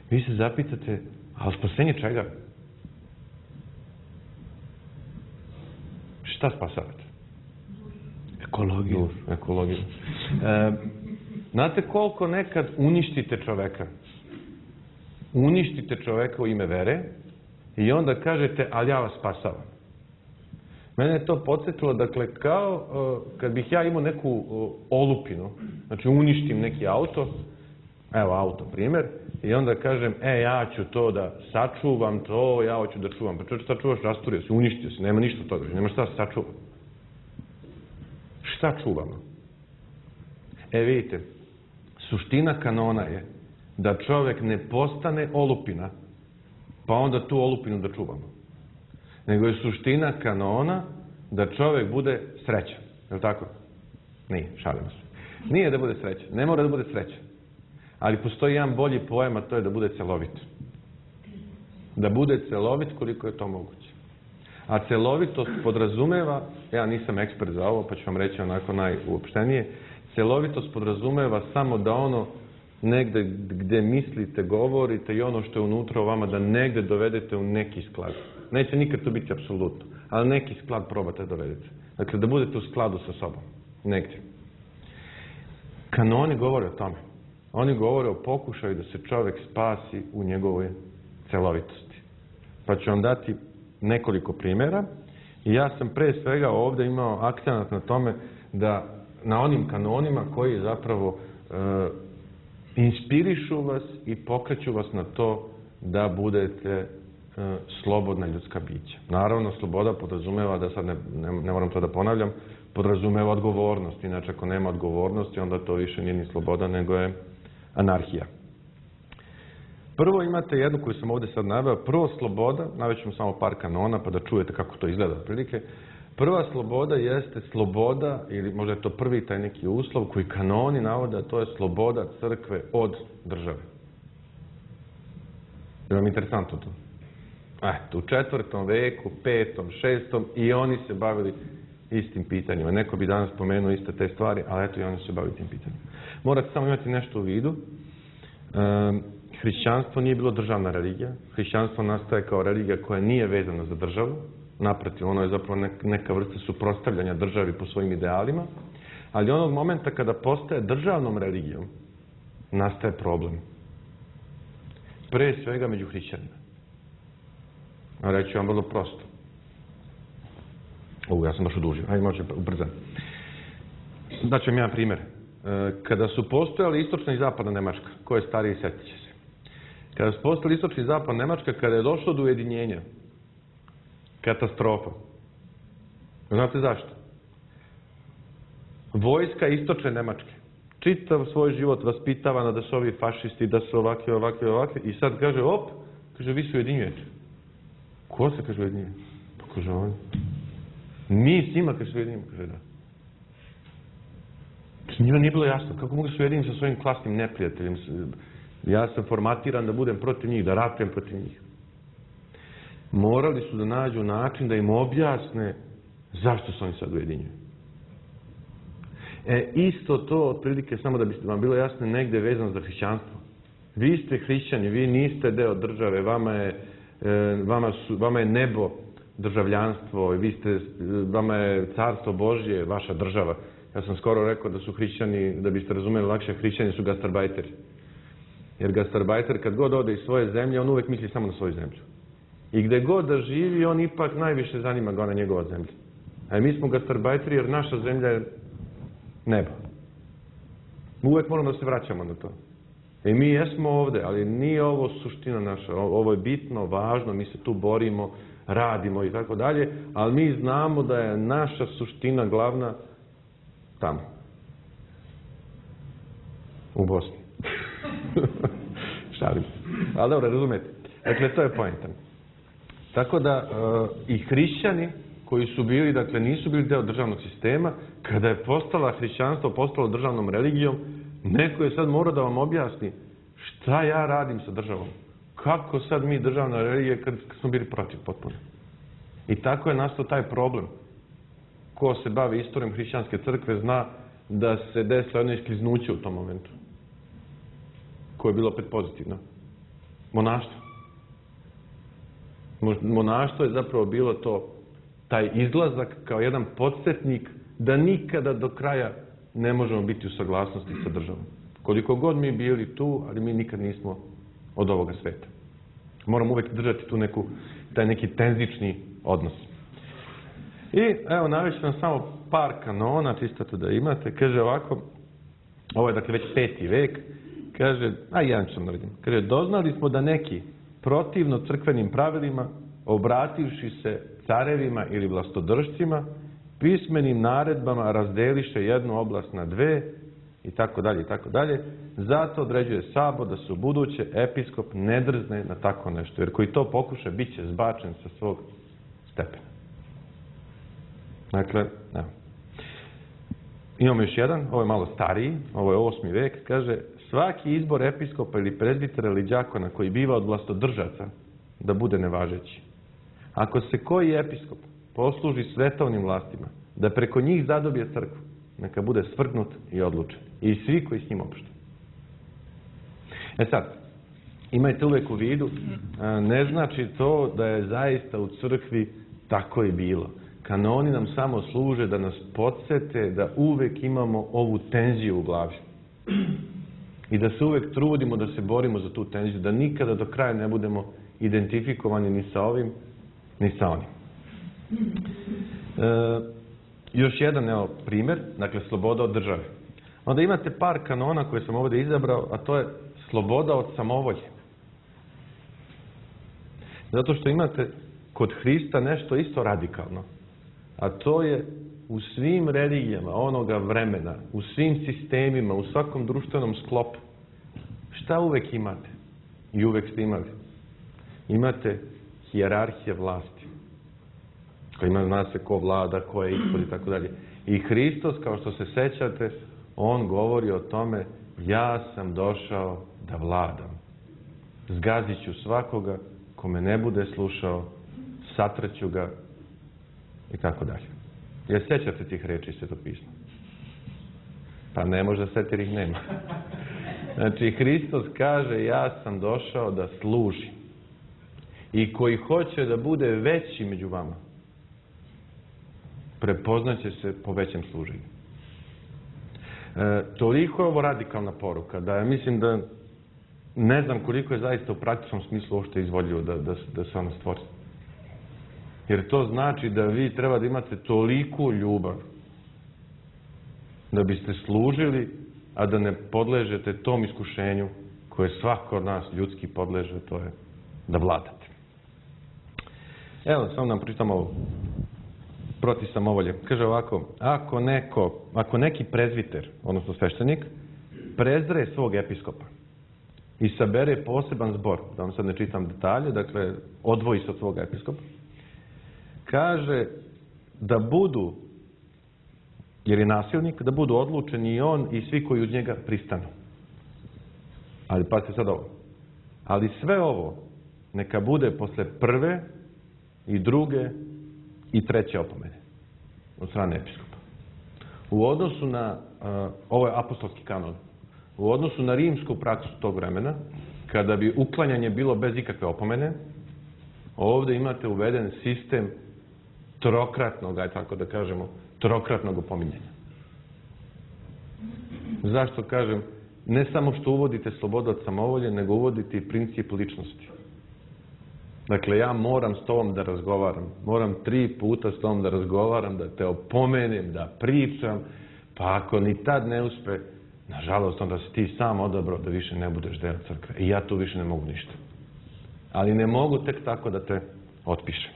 Vi se zapitate, ali spasenje čega? Šta spasavate? Ekologiju. Ekologiju. E, znate koliko nekad uništite čoveka? Uništite čoveka u ime vere i onda kažete, ali ja vas spasavam. Mene je to podsjetilo, dakle, kao uh, kad bih ja imao neku uh, olupinu, znači uništim neki auto, evo auto primjer, i onda kažem, e, ja ću to da sačuvam to, ja hoću da čuvam. Pa čovječ, šta čuvaš? Rasturio se, uništio se, nema ništa toga, nema šta se sačuva. Šta čuvamo? E, vidite, suština kanona je da čovjek ne postane olupina, pa onda tu olupinu da čuvamo. Nego je suština kanona da čovjek bude srećan. Je li tako? Nije, šalimo se. Nije da bude srećan, ne mora da bude srećan. Ali postoji jedan bolji pojam, a to je da bude celovit. Da bude celovit koliko je to moguće. A celovitost podrazumeva, ja nisam ekspert za ovo, pa ću vam reći onako najuopštenije, celovitost podrazumeva samo da ono negde gde mislite, govorite i ono što je unutra u vama, da negde dovedete u neki sklad. Neće nikad to biti apsolutno, ali neki sklad probate da dovedete. Dakle, da budete u skladu sa sobom. Negdje. Kanoni govore o tome. Oni govore o pokušaju da se čovjek spasi u njegovoj celovitosti. Pa ću vam dati nekoliko primjera. I ja sam pre svega ovdje imao akcenat na tome da na onim kanonima koji zapravo e, inspirišu vas i pokreću vas na to da budete e, slobodna ljudska bića. Naravno, sloboda podrazumeva, da sad ne, ne, ne moram to da ponavljam, podrazumeva odgovornost. Inače, ako nema odgovornosti, onda to više nije ni sloboda, nego je anarhija. Prvo imate jednu koju sam ovdje sad naveo. Prvo sloboda, navešću samo par kanona pa da čujete kako to izgleda otprilike. Prva sloboda jeste sloboda, ili možda je to prvi taj neki uslov koji kanoni navode, a to je sloboda crkve od države. Je vam interesantno to? Eto, u četvrtom veku, petom, šestom i oni se bavili istim pitanjima. Neko bi danas pomenuo iste te stvari, ali eto i oni se bavili tim pitanjima. Morate samo imati nešto u vidu. Um, hrišćanstvo nije bilo državna religija. Hrišćanstvo nastaje kao religija koja nije vezana za državu. Naprotiv, ono je zapravo neka vrsta suprotstavljanja državi po svojim idealima. Ali onog momenta kada postaje državnom religijom, nastaje problem. Pre svega među hrišćanima. Reći vam vrlo prosto. Ovo, ja sam baš odužio. Ajde, može ubrzam. Daću vam jedan primjer. Kada su postojali istočna i zapadna Nemačka, ko je stariji, sjetit će se. Kada su postojali istočna i zapadna Nemačka, kada je došlo do ujedinjenja, katastrofa. Znate zašto? Vojska istočne Nemačke čitav svoj život vaspitavana da su ovi fašisti, da su ovakvi, ovakvi, ovakvi, i sad kaže, op, kaže, vi se ujedinjujete. Ko se, kaže, ujedinjuje? Pa kaže, on. Mi s njima, kaže, se ujedinjujemo, kaže, da. Njima nije bilo jasno, kako mogu se ujediniti sa svojim klasnim neprijateljem. Ja sam formatiran da budem protiv njih, da ratujem protiv njih. Morali su da nađu način da im objasne zašto se oni sad ujedinjuju. E, isto to, otprilike, samo da bi vam bilo jasno, negde vezano za hrišćanstvo. Vi ste hrišćani, vi niste deo države, vama je, vama su, vama je nebo državljanstvo, vi ste, vama je carstvo Božje, vaša država. Ja sam skoro rekao da su hrišćani, da biste razumeli lakše, hrišćani su gastarbajteri. Jer gastarbajter kad god ode iz svoje zemlje, on uvek misli samo na svoju zemlju. I gde god da živi, on ipak najviše zanima ga na njegova zemlja. A mi smo gastarbajteri jer naša zemlja je nebo. Uvek moramo da se vraćamo na to. I mi jesmo ovde, ali nije ovo suština naša. Ovo je bitno, važno, mi se tu borimo, radimo i tako dalje, ali mi znamo da je naša suština glavna tamo. U Bosni. Šalim. Ali dobro, razumete. Dakle, to je poenta. Tako da uh, i hrišćani koji su bili, dakle, nisu bili deo državnog sistema, kada je postala hrišćanstvo, postalo državnom religijom, neko je sad morao da vam objasni šta ja radim sa državom. Kako sad mi državna religija kad smo bili protiv potpuno. I tako je nastao taj problem. Ko se bavi istorijom hrišćanske crkve zna da se desilo jedno iskliznuće u tom momentu. Koje je bilo opet pozitivno. Monaštvo. Monaštvo je zapravo bilo to, taj izlazak kao jedan podsjetnik da nikada do kraja ne možemo biti u saglasnosti sa državom. Koliko god mi bili tu, ali mi nikad nismo od ovoga sveta. Moramo uvek držati tu neku, taj neki tenzični odnos. I evo, navešću vam samo par kanona, čisto to da imate. Kaže ovako, ovo je dakle već peti vek, kaže, a jedan ću vam naredim, kaže, doznali smo da neki protivno crkvenim pravilima, obrativši se carevima ili vlastodržcima, pismenim naredbama razdeliše jednu oblast na dve, i tako dalje, i tako dalje. Zato određuje sabor da se u buduće episkop ne drzne na tako nešto, jer koji to pokuša, bit će zbačen sa svog stepena. Dakle, evo. Imamo još jedan, ovo je malo stariji, ovo je osmi vek, kaže, svaki izbor episkopa ili prezbitera ili đakona koji biva od vlastodržaca da bude nevažeći. Ako se koji episkop posluži svetovnim vlastima, da preko njih zadobije crkvu, neka bude svrgnut i odlučen. I svi koji s njim opšte. E sad, imajte uvek u vidu, ne znači to da je zaista u crkvi tako i bilo. Kanoni nam samo služe da nas podsete da uvek imamo ovu tenziju u glavi. I da se uvek trudimo da se borimo za tu tenziju, da nikada do kraja ne budemo identifikovani ni sa ovim, ni sa onim. E, još jedan evo, primjer, dakle, sloboda od države. Onda imate par kanona koje sam ovdje izabrao, a to je sloboda od samovolje. Zato što imate kod Hrista nešto isto radikalno. A to je u svim religijama onoga vremena, u svim sistemima, u svakom društvenom sklopu. Šta uvek imate? I uvek ste imali. Imate hijerarhije vlasti. Koja ima, zna se ko vlada, ko je ispod i tako dalje. I Hristos, kao što se sećate, on govori o tome, ja sam došao da vladam. Zgazit ću svakoga ko me ne bude slušao, satraću ga i tako dalje. Jer sećate tih reči Svetopisma? Pa ne može se, jer ih nema. Znači, Hristos kaže, ja sam došao da služim. I koji hoće da bude veći među vama, prepoznaće se po većem služenju. E, toliko je ovo radikalna poruka, da ja mislim da ne znam koliko je zaista u praktičnom smislu uopšte izvodljivo da, da, da se ona stvori. Jer to znači da vi treba da imate toliku ljubav da biste služili, a da ne podležete tom iskušenju koje svako od nas ljudski podleže, to je da vladate. Evo, samo nam pročitamo ovo. Protiv samovolje. Kaže ovako, ako neko, ako neki prezviter, odnosno sveštenik, prezre svog episkopa i sabere poseban zbor, da vam sad ne čitam detalje, dakle, odvoji se od svog episkopa, kaže da budu, jer je nasilnik, da budu odlučeni i on i svi koji uz njega pristanu. Ali pazite sad ovo. Ali sve ovo neka bude posle prve i druge i treće opomene od strane episkopa. U odnosu na, uh, ovo je apostolski kanon, u odnosu na rimsku praksu tog vremena, kada bi uklanjanje bilo bez ikakve opomene, ovdje imate uveden sistem trokratnog, aj tako da kažemo, trokratnog opominjanja. Zašto kažem? Ne samo što uvodite slobodu od samovolje, nego uvodite i princip ličnosti. Dakle, ja moram s tobom da razgovaram. Moram tri puta s tobom da razgovaram, da te opomenem, da pričam, pa ako ni tad ne uspe, nažalost, onda si ti sam odabrao da više ne budeš deo crkve. I ja tu više ne mogu ništa. Ali ne mogu tek tako da te otpišem.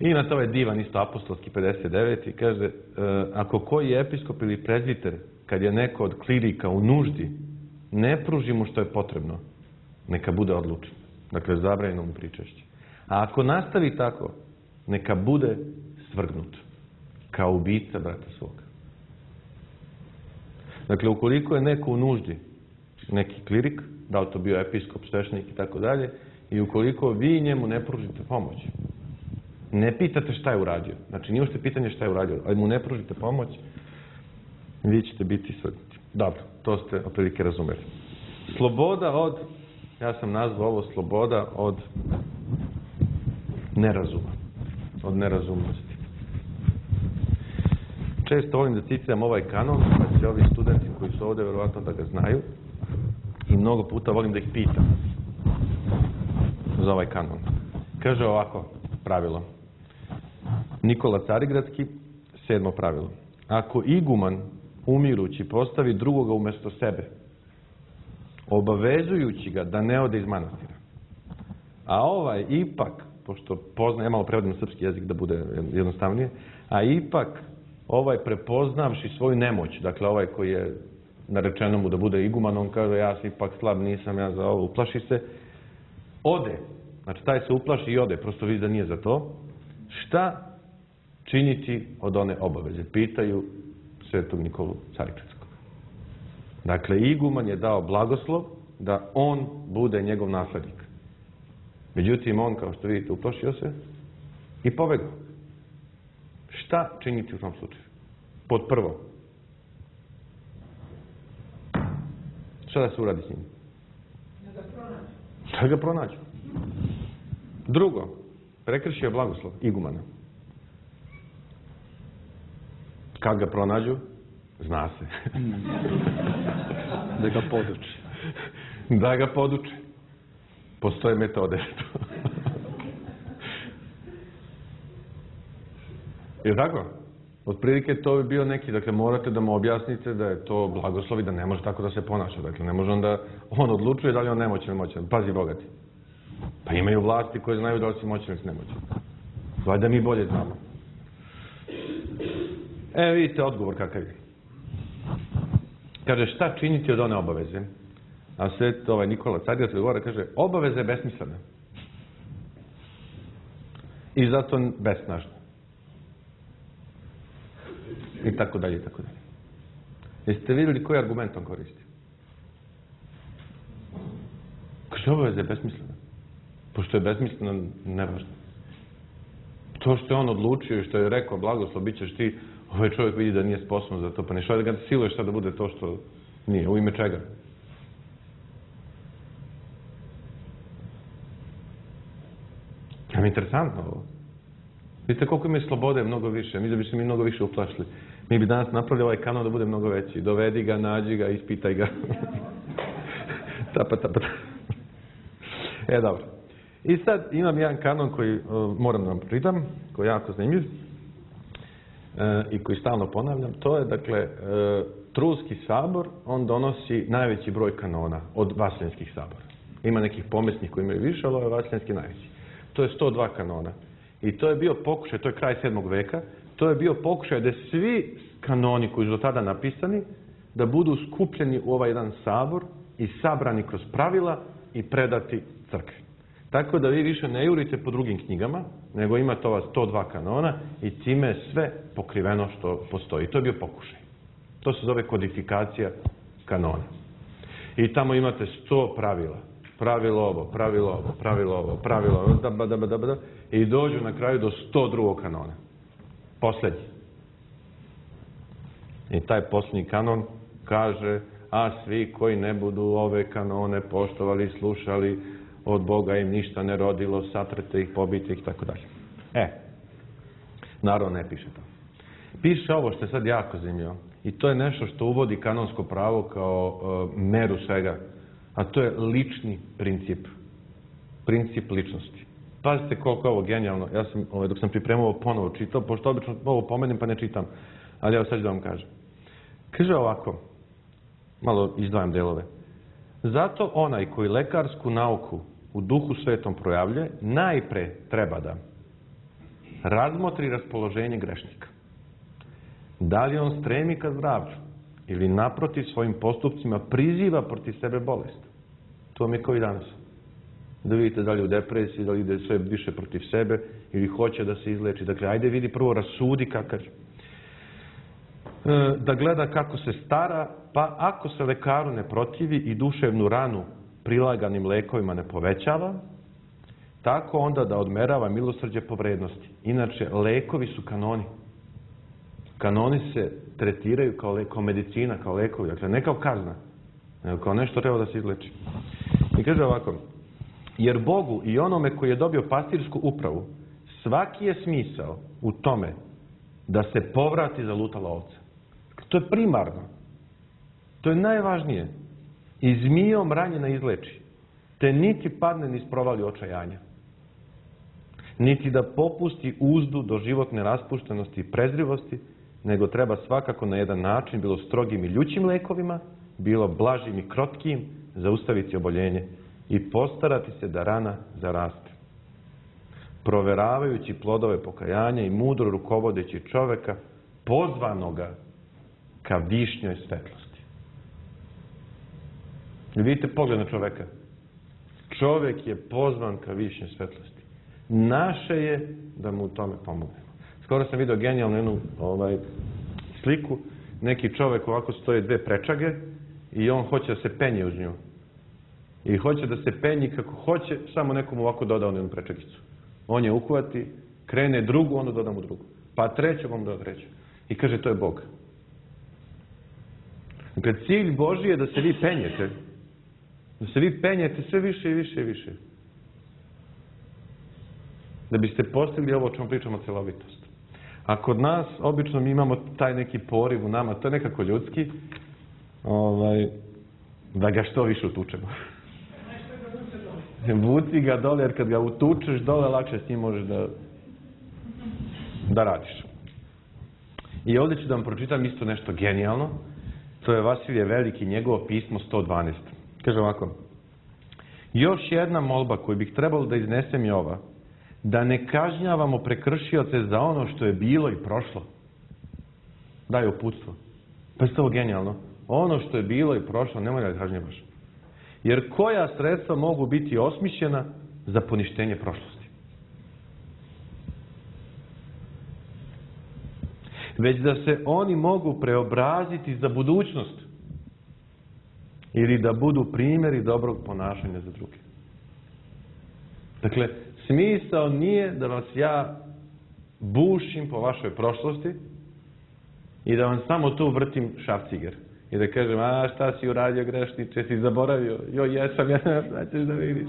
I imate ovaj divan isto apostolski pedeset devet i kaže, ako koji episkop ili prezbiter, kad je neko od klirika u nuždi, ne pruži mu što je potrebno, neka bude odlučen. Dakle, zabranjeno mu pričešće. A ako nastavi tako, neka bude svrgnut kao ubica brata svoga. Dakle, ukoliko je neko u nuždi, neki klirik, da li to bio episkop, sveštenik i tako dalje, i ukoliko vi njemu ne pružite pomoć, ne pitate šta je uradio, znači nije ušte pitanje šta je uradio, ali mu ne pružite pomoć, vi ćete biti svrgnuti. Dobro, to ste otprilike razumeli. Sloboda od, ja sam nazvao ovo sloboda od nerazuma, od nerazumnosti. Često volim da citiram ovaj kanon, pa će ovi studenti koji su ovde verovatno da ga znaju, i mnogo puta volim da ih pitam za ovaj kanon. Kaže ovako pravilo. Nikola Carigradski, sedmo pravilo. Ako iguman umirući postavi drugoga umjesto sebe, obavezujući ga da ne ode iz manastira, a ovaj ipak, pošto pozna, ja malo prevodim na srpski jezik da bude jednostavnije, a ipak ovaj prepoznavši svoju nemoć, dakle ovaj koji je narečeno mu da bude iguman, on kaže ja sam ipak slab, nisam ja za ovo, uplaši se, ode, znači taj se uplaši i ode, prosto vidi da nije za to, šta činiti od one obaveze? Pitaju svetog Nikolu Carigradskog. Dakle, iguman je dao blagoslov da on bude njegov naslednik. Međutim, on, kao što vidite, uplašio se i pobegao. Šta činiti u tom slučaju? Pod prvo, šta da se uradi s njim? Da ga pronađu. Da ga pronađu. Drugo, prekršio je blagoslov igumana. Kad ga pronađu? Zna se. Da ga poduči. Da ga poduče. Postoje metode. Je tako? Otprilike to bi bio neki, dakle morate da mu objasnite da je to blagoslov i da ne može tako da se ponaša. Dakle, ne može onda, on odlučuje da li on nemoćan ili moćan. Pazi, bogati. Pa imaju vlasti koje znaju da li si moćan ili si nemoćan. Valjda mi bolje znamo. E, vidite odgovor kakav je. Kaže, šta činiti od one obaveze? A sve ovaj Nikola Carigradski govora, kaže, obaveza je besmislena. I zato besnažna. I tako dalje, i tako dalje. Jeste vidjeli koji argument on koristi? Kaže, obaveza je besmislena. Pošto je besmislena, nevažno. To što je on odlučio i što je rekao, blagoslov, bit ćeš ti, ovaj čovjek vidi da nije sposoban za to, pa ne što da ga siluješ sad da bude to što nije. U ime čega? Ja mi je interesantno ovo. Vidite koliko ima slobode, mnogo više. Mi da bi se mi mnogo više uplašili. Mi bi danas napravili ovaj kanon da bude mnogo veći. Dovedi ga, nađi ga, ispitaj ga. Tapa, tapa, tapa. E, dobro. I sad imam jedan kanon koji uh, moram da vam pročitam, koji je jako zanimljiv uh, i koji stalno ponavljam. To je, dakle, uh, Trulski sabor, on donosi najveći broj kanona od vaseljenskih sabora. Ima nekih pomesnih koji imaju više, ali ovo je vaseljenski najveći. To je sto dva kanona. I to je bio pokušaj, to je kraj sedmog veka, to je bio pokušaj da svi kanoni koji su do tada napisani, da budu skupljeni u ovaj jedan sabor i sabrani kroz pravila i predati crkvi. Tako da vi više ne jurite po drugim knjigama, nego imate ova sto dva kanona i time je sve pokriveno što postoji. To je bio pokušaj. To se zove kodifikacija kanona. I tamo imate sto pravila. Pravilo ovo, pravilo ovo, pravilo ovo, pravilo ovo, da, da, da, da, da, i dođu na kraju do sto drugog kanona. Poslednji. I taj posljednji kanon kaže, a svi koji ne budu ove kanone poštovali, slušali, od Boga im ništa ne rodilo, satrete ih, pobite ih, tako dalje. E, naravno ne piše to. Piše ovo što je sad jako zanimljivo. I to je nešto što uvodi kanonsko pravo kao uh, meru svega. A to je lični princip. Princip ličnosti. Pazite koliko je ovo genijalno. Ja sam, ovaj, dok sam pripremao ovo ponovo čitao, pošto obično ovo pomenem pa ne čitam. Ali evo sad ću da vam kažem. Kaže ovako, malo izdvajam delove. Zato onaj koji lekarsku nauku u Duhu Svetom projavlja, najpre treba da razmotri raspoloženje grešnika. Da li on stremi ka zdravlju ili naprotiv svojim postupcima priziva protiv sebe bolest. To mi je kao i danas. Da vidite da li u depresiji, da li ide sve više protiv sebe ili hoće da se izleči. Dakle, ajde vidi prvo, rasudi kakav je. Da gleda kako se stara, pa ako se lekaru ne protivi i duševnu ranu prilaganim lekovima ne povećava, tako onda da odmerava milosrđe po vrednosti. Inače, lekovi su kanoni. Kanoni se tretiraju kao, le, kao medicina, kao lekovi. Dakle, ne kao kazna, nego kao nešto treba da se izleči. I kaže ovako, jer Bogu i onome koji je dobio pastirsku upravu, svaki je smisao u tome da se povrati zalutala ovca. To je primarno. To je najvažnije. I zmijom ranjena izleči, te niti padne ni sprovali očajanja. Niti da popusti uzdu do životne raspuštenosti i prezrivosti, nego treba svakako na jedan način, bilo strogim i ljućim lekovima, bilo blažim i krotkim, zaustaviti oboljenje i postarati se da rana zaraste. Proveravajući plodove pokajanja i mudro rukovodeći čoveka, pozvanoga ka višnjoj svetlosti. Vidite pogled na čoveka. Čovek je pozvan ka višnjoj svetlosti. Naše je da mu u tome pomognemo. Skoro sam vidio genijalnu jednu ovaj, sliku. Neki čovek ovako stoje dve prečage i on hoće da se penje uz nju. I hoće da se penji kako hoće, samo nekom ovako doda on jednu prečagicu. On je uhvati, krene drugu, onda doda mu drugu. Pa treću, onda doda treću. I kaže, to je Bog. Dakle, cilj Božji je da se vi penjete. Da se vi penjete sve više i više i više. Da biste postigli ovo o čemu pričamo, celovitost. A kod nas, obično mi imamo taj neki poriv u nama, to je nekako ljudski, ovaj, da ga što više utučemo. Vuci ga dole, jer kad ga utučeš dole, lakše s njim možeš da, da radiš. I ovdje ću da vam pročitam isto nešto genijalno. To je Vasilije Veliki, njegovo pismo sto dvanaest. Kaže ovako. Još jedna molba koju bih trebalo da iznesem je ova. Da ne kažnjavamo prekršioce za ono što je bilo i prošlo. Daj uputstvo. Pa je to genijalno. Ono što je bilo i prošlo, nemoj da kažnjavaš. Jer koja sredstva mogu biti osmišljena za poništenje prošlosti? Već da se oni mogu preobraziti za budućnost. Ili da budu primjeri dobrog ponašanja za druge. Dakle, smisao nije da vas ja bušim po vašoj prošlosti i da vam samo tu vrtim šrafciger. I da kažem, a šta si uradio grešniče, si zaboravio, joj jesam, ja šta ćeš da vidiš.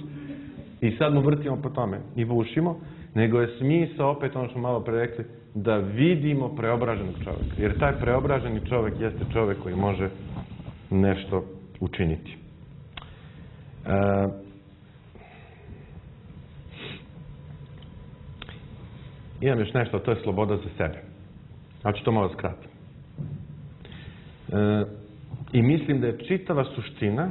I sad mu vrtimo po tome i bušimo, nego je smisao, opet ono što malo pre rekli, da vidimo preobraženog čovjeka. Jer taj preobraženi čovjek jeste čovjek koji može nešto učiniti. E, imam još nešto, to je sloboda za sebe. Ja ću to malo skratiti. E, I mislim da je čitava suština,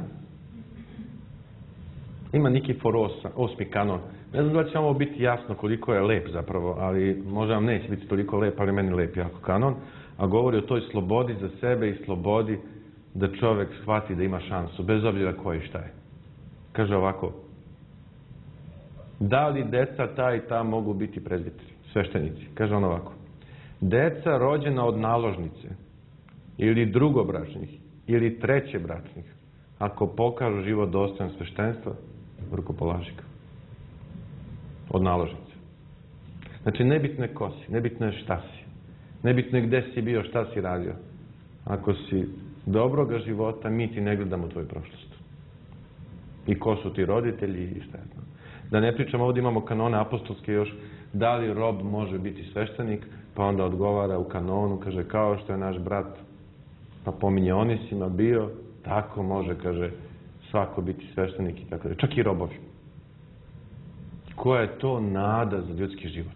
ima Nikifor osmi kanon. Ne znam da će vam ovo biti jasno koliko je lep zapravo, ali možda vam neće biti toliko lep, ali meni lep jako kanon, a govori o toj slobodi za sebe i slobodi da čovjek shvati da ima šansu, bez obzira ko je šta je. Kaže ovako, da li deca ta i ta mogu biti prezbiteri, sveštenici? Kaže on ovako, deca rođena od naložnice ili drugobračnih ili trećebračnih, ako pokažu život dostojan sveštenstva, rukopolaži ga. Od naložnice. Znači, nebitno je ko si, nebitno je šta si, nebitno je gde si bio, šta si radio. Ako si dobroga života, mi ti ne gledamo tvoju prošlost. I ko su ti roditelji i šta je to. Da ne pričamo, ovdje imamo kanone apostolske još, da li rob može biti sveštenik, pa onda odgovara u kanonu, kaže, kao što je naš brat, pa pominje Onisima bio, tako može, kaže, svako biti sveštenik i tako da. Čak i robovi. Koja je to nada za ljudski život?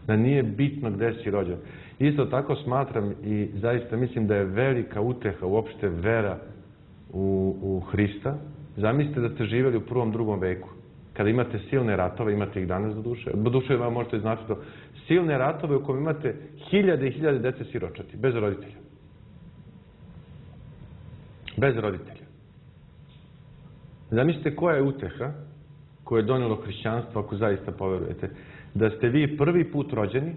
Da nije bitno gde si rođen. Isto tako smatram i zaista mislim da je velika uteha uopšte vera u, u Hrista. Zamislite da ste živjeli u prvom, drugom veku. Kada imate silne ratove, imate ih danas do duše. Do duše vam možete znači to. Silne ratove u kojem imate hiljade i hiljade dece siročati, bez roditelja. Bez roditelja. Zamislite koja je uteha koje je donijelo hrišćanstvo, ako zaista poverujete, da ste vi prvi put rođeni,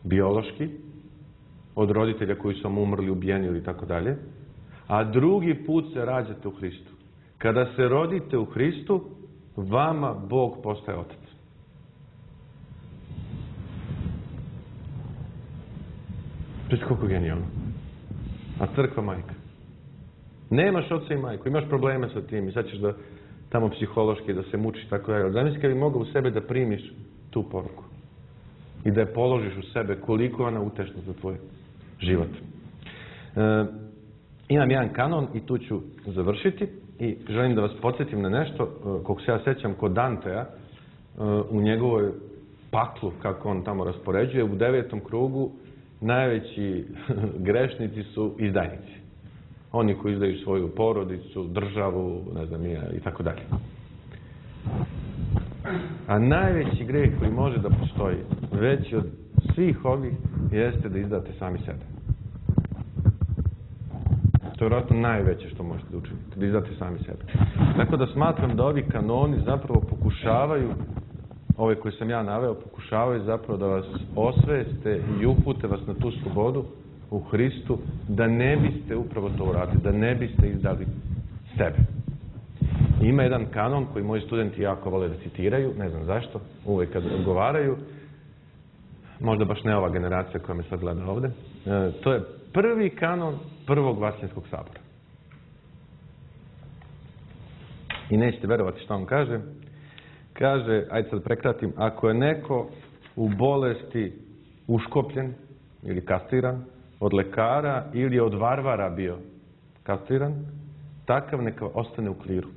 biološki, od roditelja koji su vam umrli, ubijeni ili tako dalje, a drugi put se rađate u Hristu. Kada se rodite u Hristu, vama Bog postaje Otac. Česti koliko genijalno. A crkva majka. Nemaš oca i majku, imaš probleme sa tim i sad ćeš da tamo psihološki da se mučiš tako dalje. Zamisli kad bi mogao u sebe da primiš tu poruku i da je položiš u sebe koliko je ona utešna za tvoj život. E, imam jedan kanon i tu ću završiti i želim da vas podsjetim na nešto, koliko se ja sećam kod Dantea, u njegovoj paklu, kako on tamo raspoređuje, u devetom krugu najveći grešnici su izdajnici. Oni koji izdaju svoju porodicu, državu, ne znam ja, i tako dalje. A najveći greh koji može da postoji, veći od svih ovih, jeste da izdate sami sebe. To je vjerojatno najveće što možete da učinite, da izdate sami sebe. Tako da smatram da ovi kanoni zapravo pokušavaju, ove koje sam ja naveo, pokušavaju zapravo da vas osveste i upute vas na tu slobodu u Hristu, da ne biste upravo to uradili, da ne biste izdali sebe. Ima jedan kanon koji moji studenti jako vole da citiraju, ne znam zašto, uvek kad odgovaraju, možda baš ne ova generacija koja me sad gleda ovde, e, to je prvi kanon prvog Vaseljenskog sabora. I nećete verovati što on kaže. Kaže, ajde sad prekratim, ako je neko u bolesti uškopljen ili kastriran od lekara ili od varvara bio kastriran, takav neka ostane u kliru.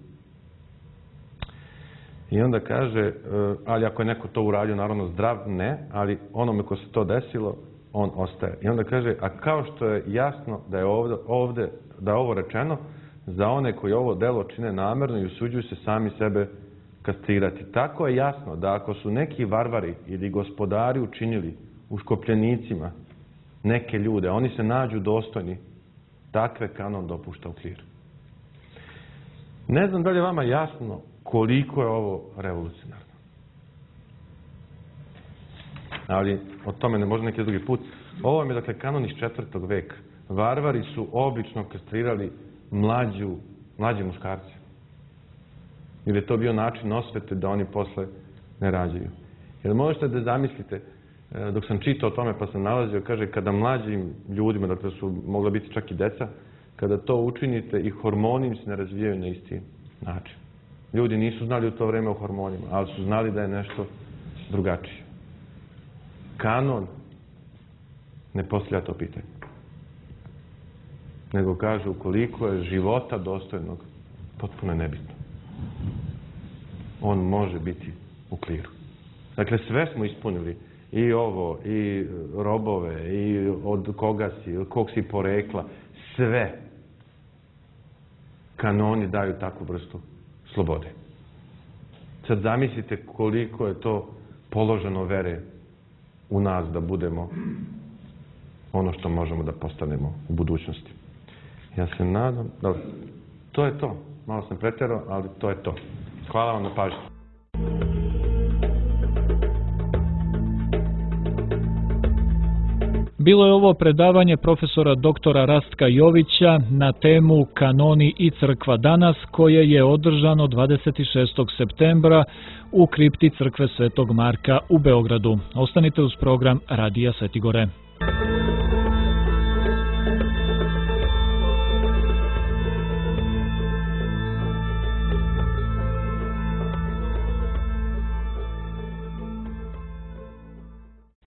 I onda kaže, ali ako je neko to uradio, naravno zdrav, ne, ali onome ko se to desilo, on ostaje. I onda kaže, a kao što je jasno da je ovde, ovde da je ovo rečeno, za one koji ovo delo čine namerno i usuđuju se sami sebe kastrirati. Tako je jasno da ako su neki varvari ili gospodari učinili uškopljenicima neke ljude, oni se nađu dostojni, takve kanon dopušta u kliru. Ne znam da li je vama jasno koliko je ovo revolucionarno. Ali o tome ne može neki drugi put. Ovo je dakle kanon iz četvrtog veka. Varvari su obično kastrirali mlađu, mlađe muškarce. Jer je to bio način osvete da oni posle ne rađaju. Jer možete da zamislite, dok sam čitao o tome pa sam nalazio, kaže kada mlađim ljudima, dakle su mogla biti čak i deca, kada to učinite i hormoni im se ne razvijaju na isti način. Ljudi nisu znali u to vreme o hormonima, ali su znali da je nešto drugačije. Kanon ne postavlja to pitanje. Nego kaže ukoliko je života dostojnog, potpuno je nebitno. On može biti u kliru. Dakle, sve smo ispunili. I ovo, i robove, i od koga si, od kog si porekla. Sve. Kanoni daju takvu vrstu slobode. Sad zamislite koliko je to položeno vere u nas da budemo ono što možemo da postanemo u budućnosti. Ja se nadam, dobro, to je to. Malo sam preterao, ali to je to. Hvala vam na pažnji. Bilo je ovo predavanje profesora doktora Rastka Jovića na temu Kanoni i crkva danas, koje je održano dvadeset šestog septembra u kripti crkve Svetog Marka u Beogradu. Ostanite uz program Radija Svetigore.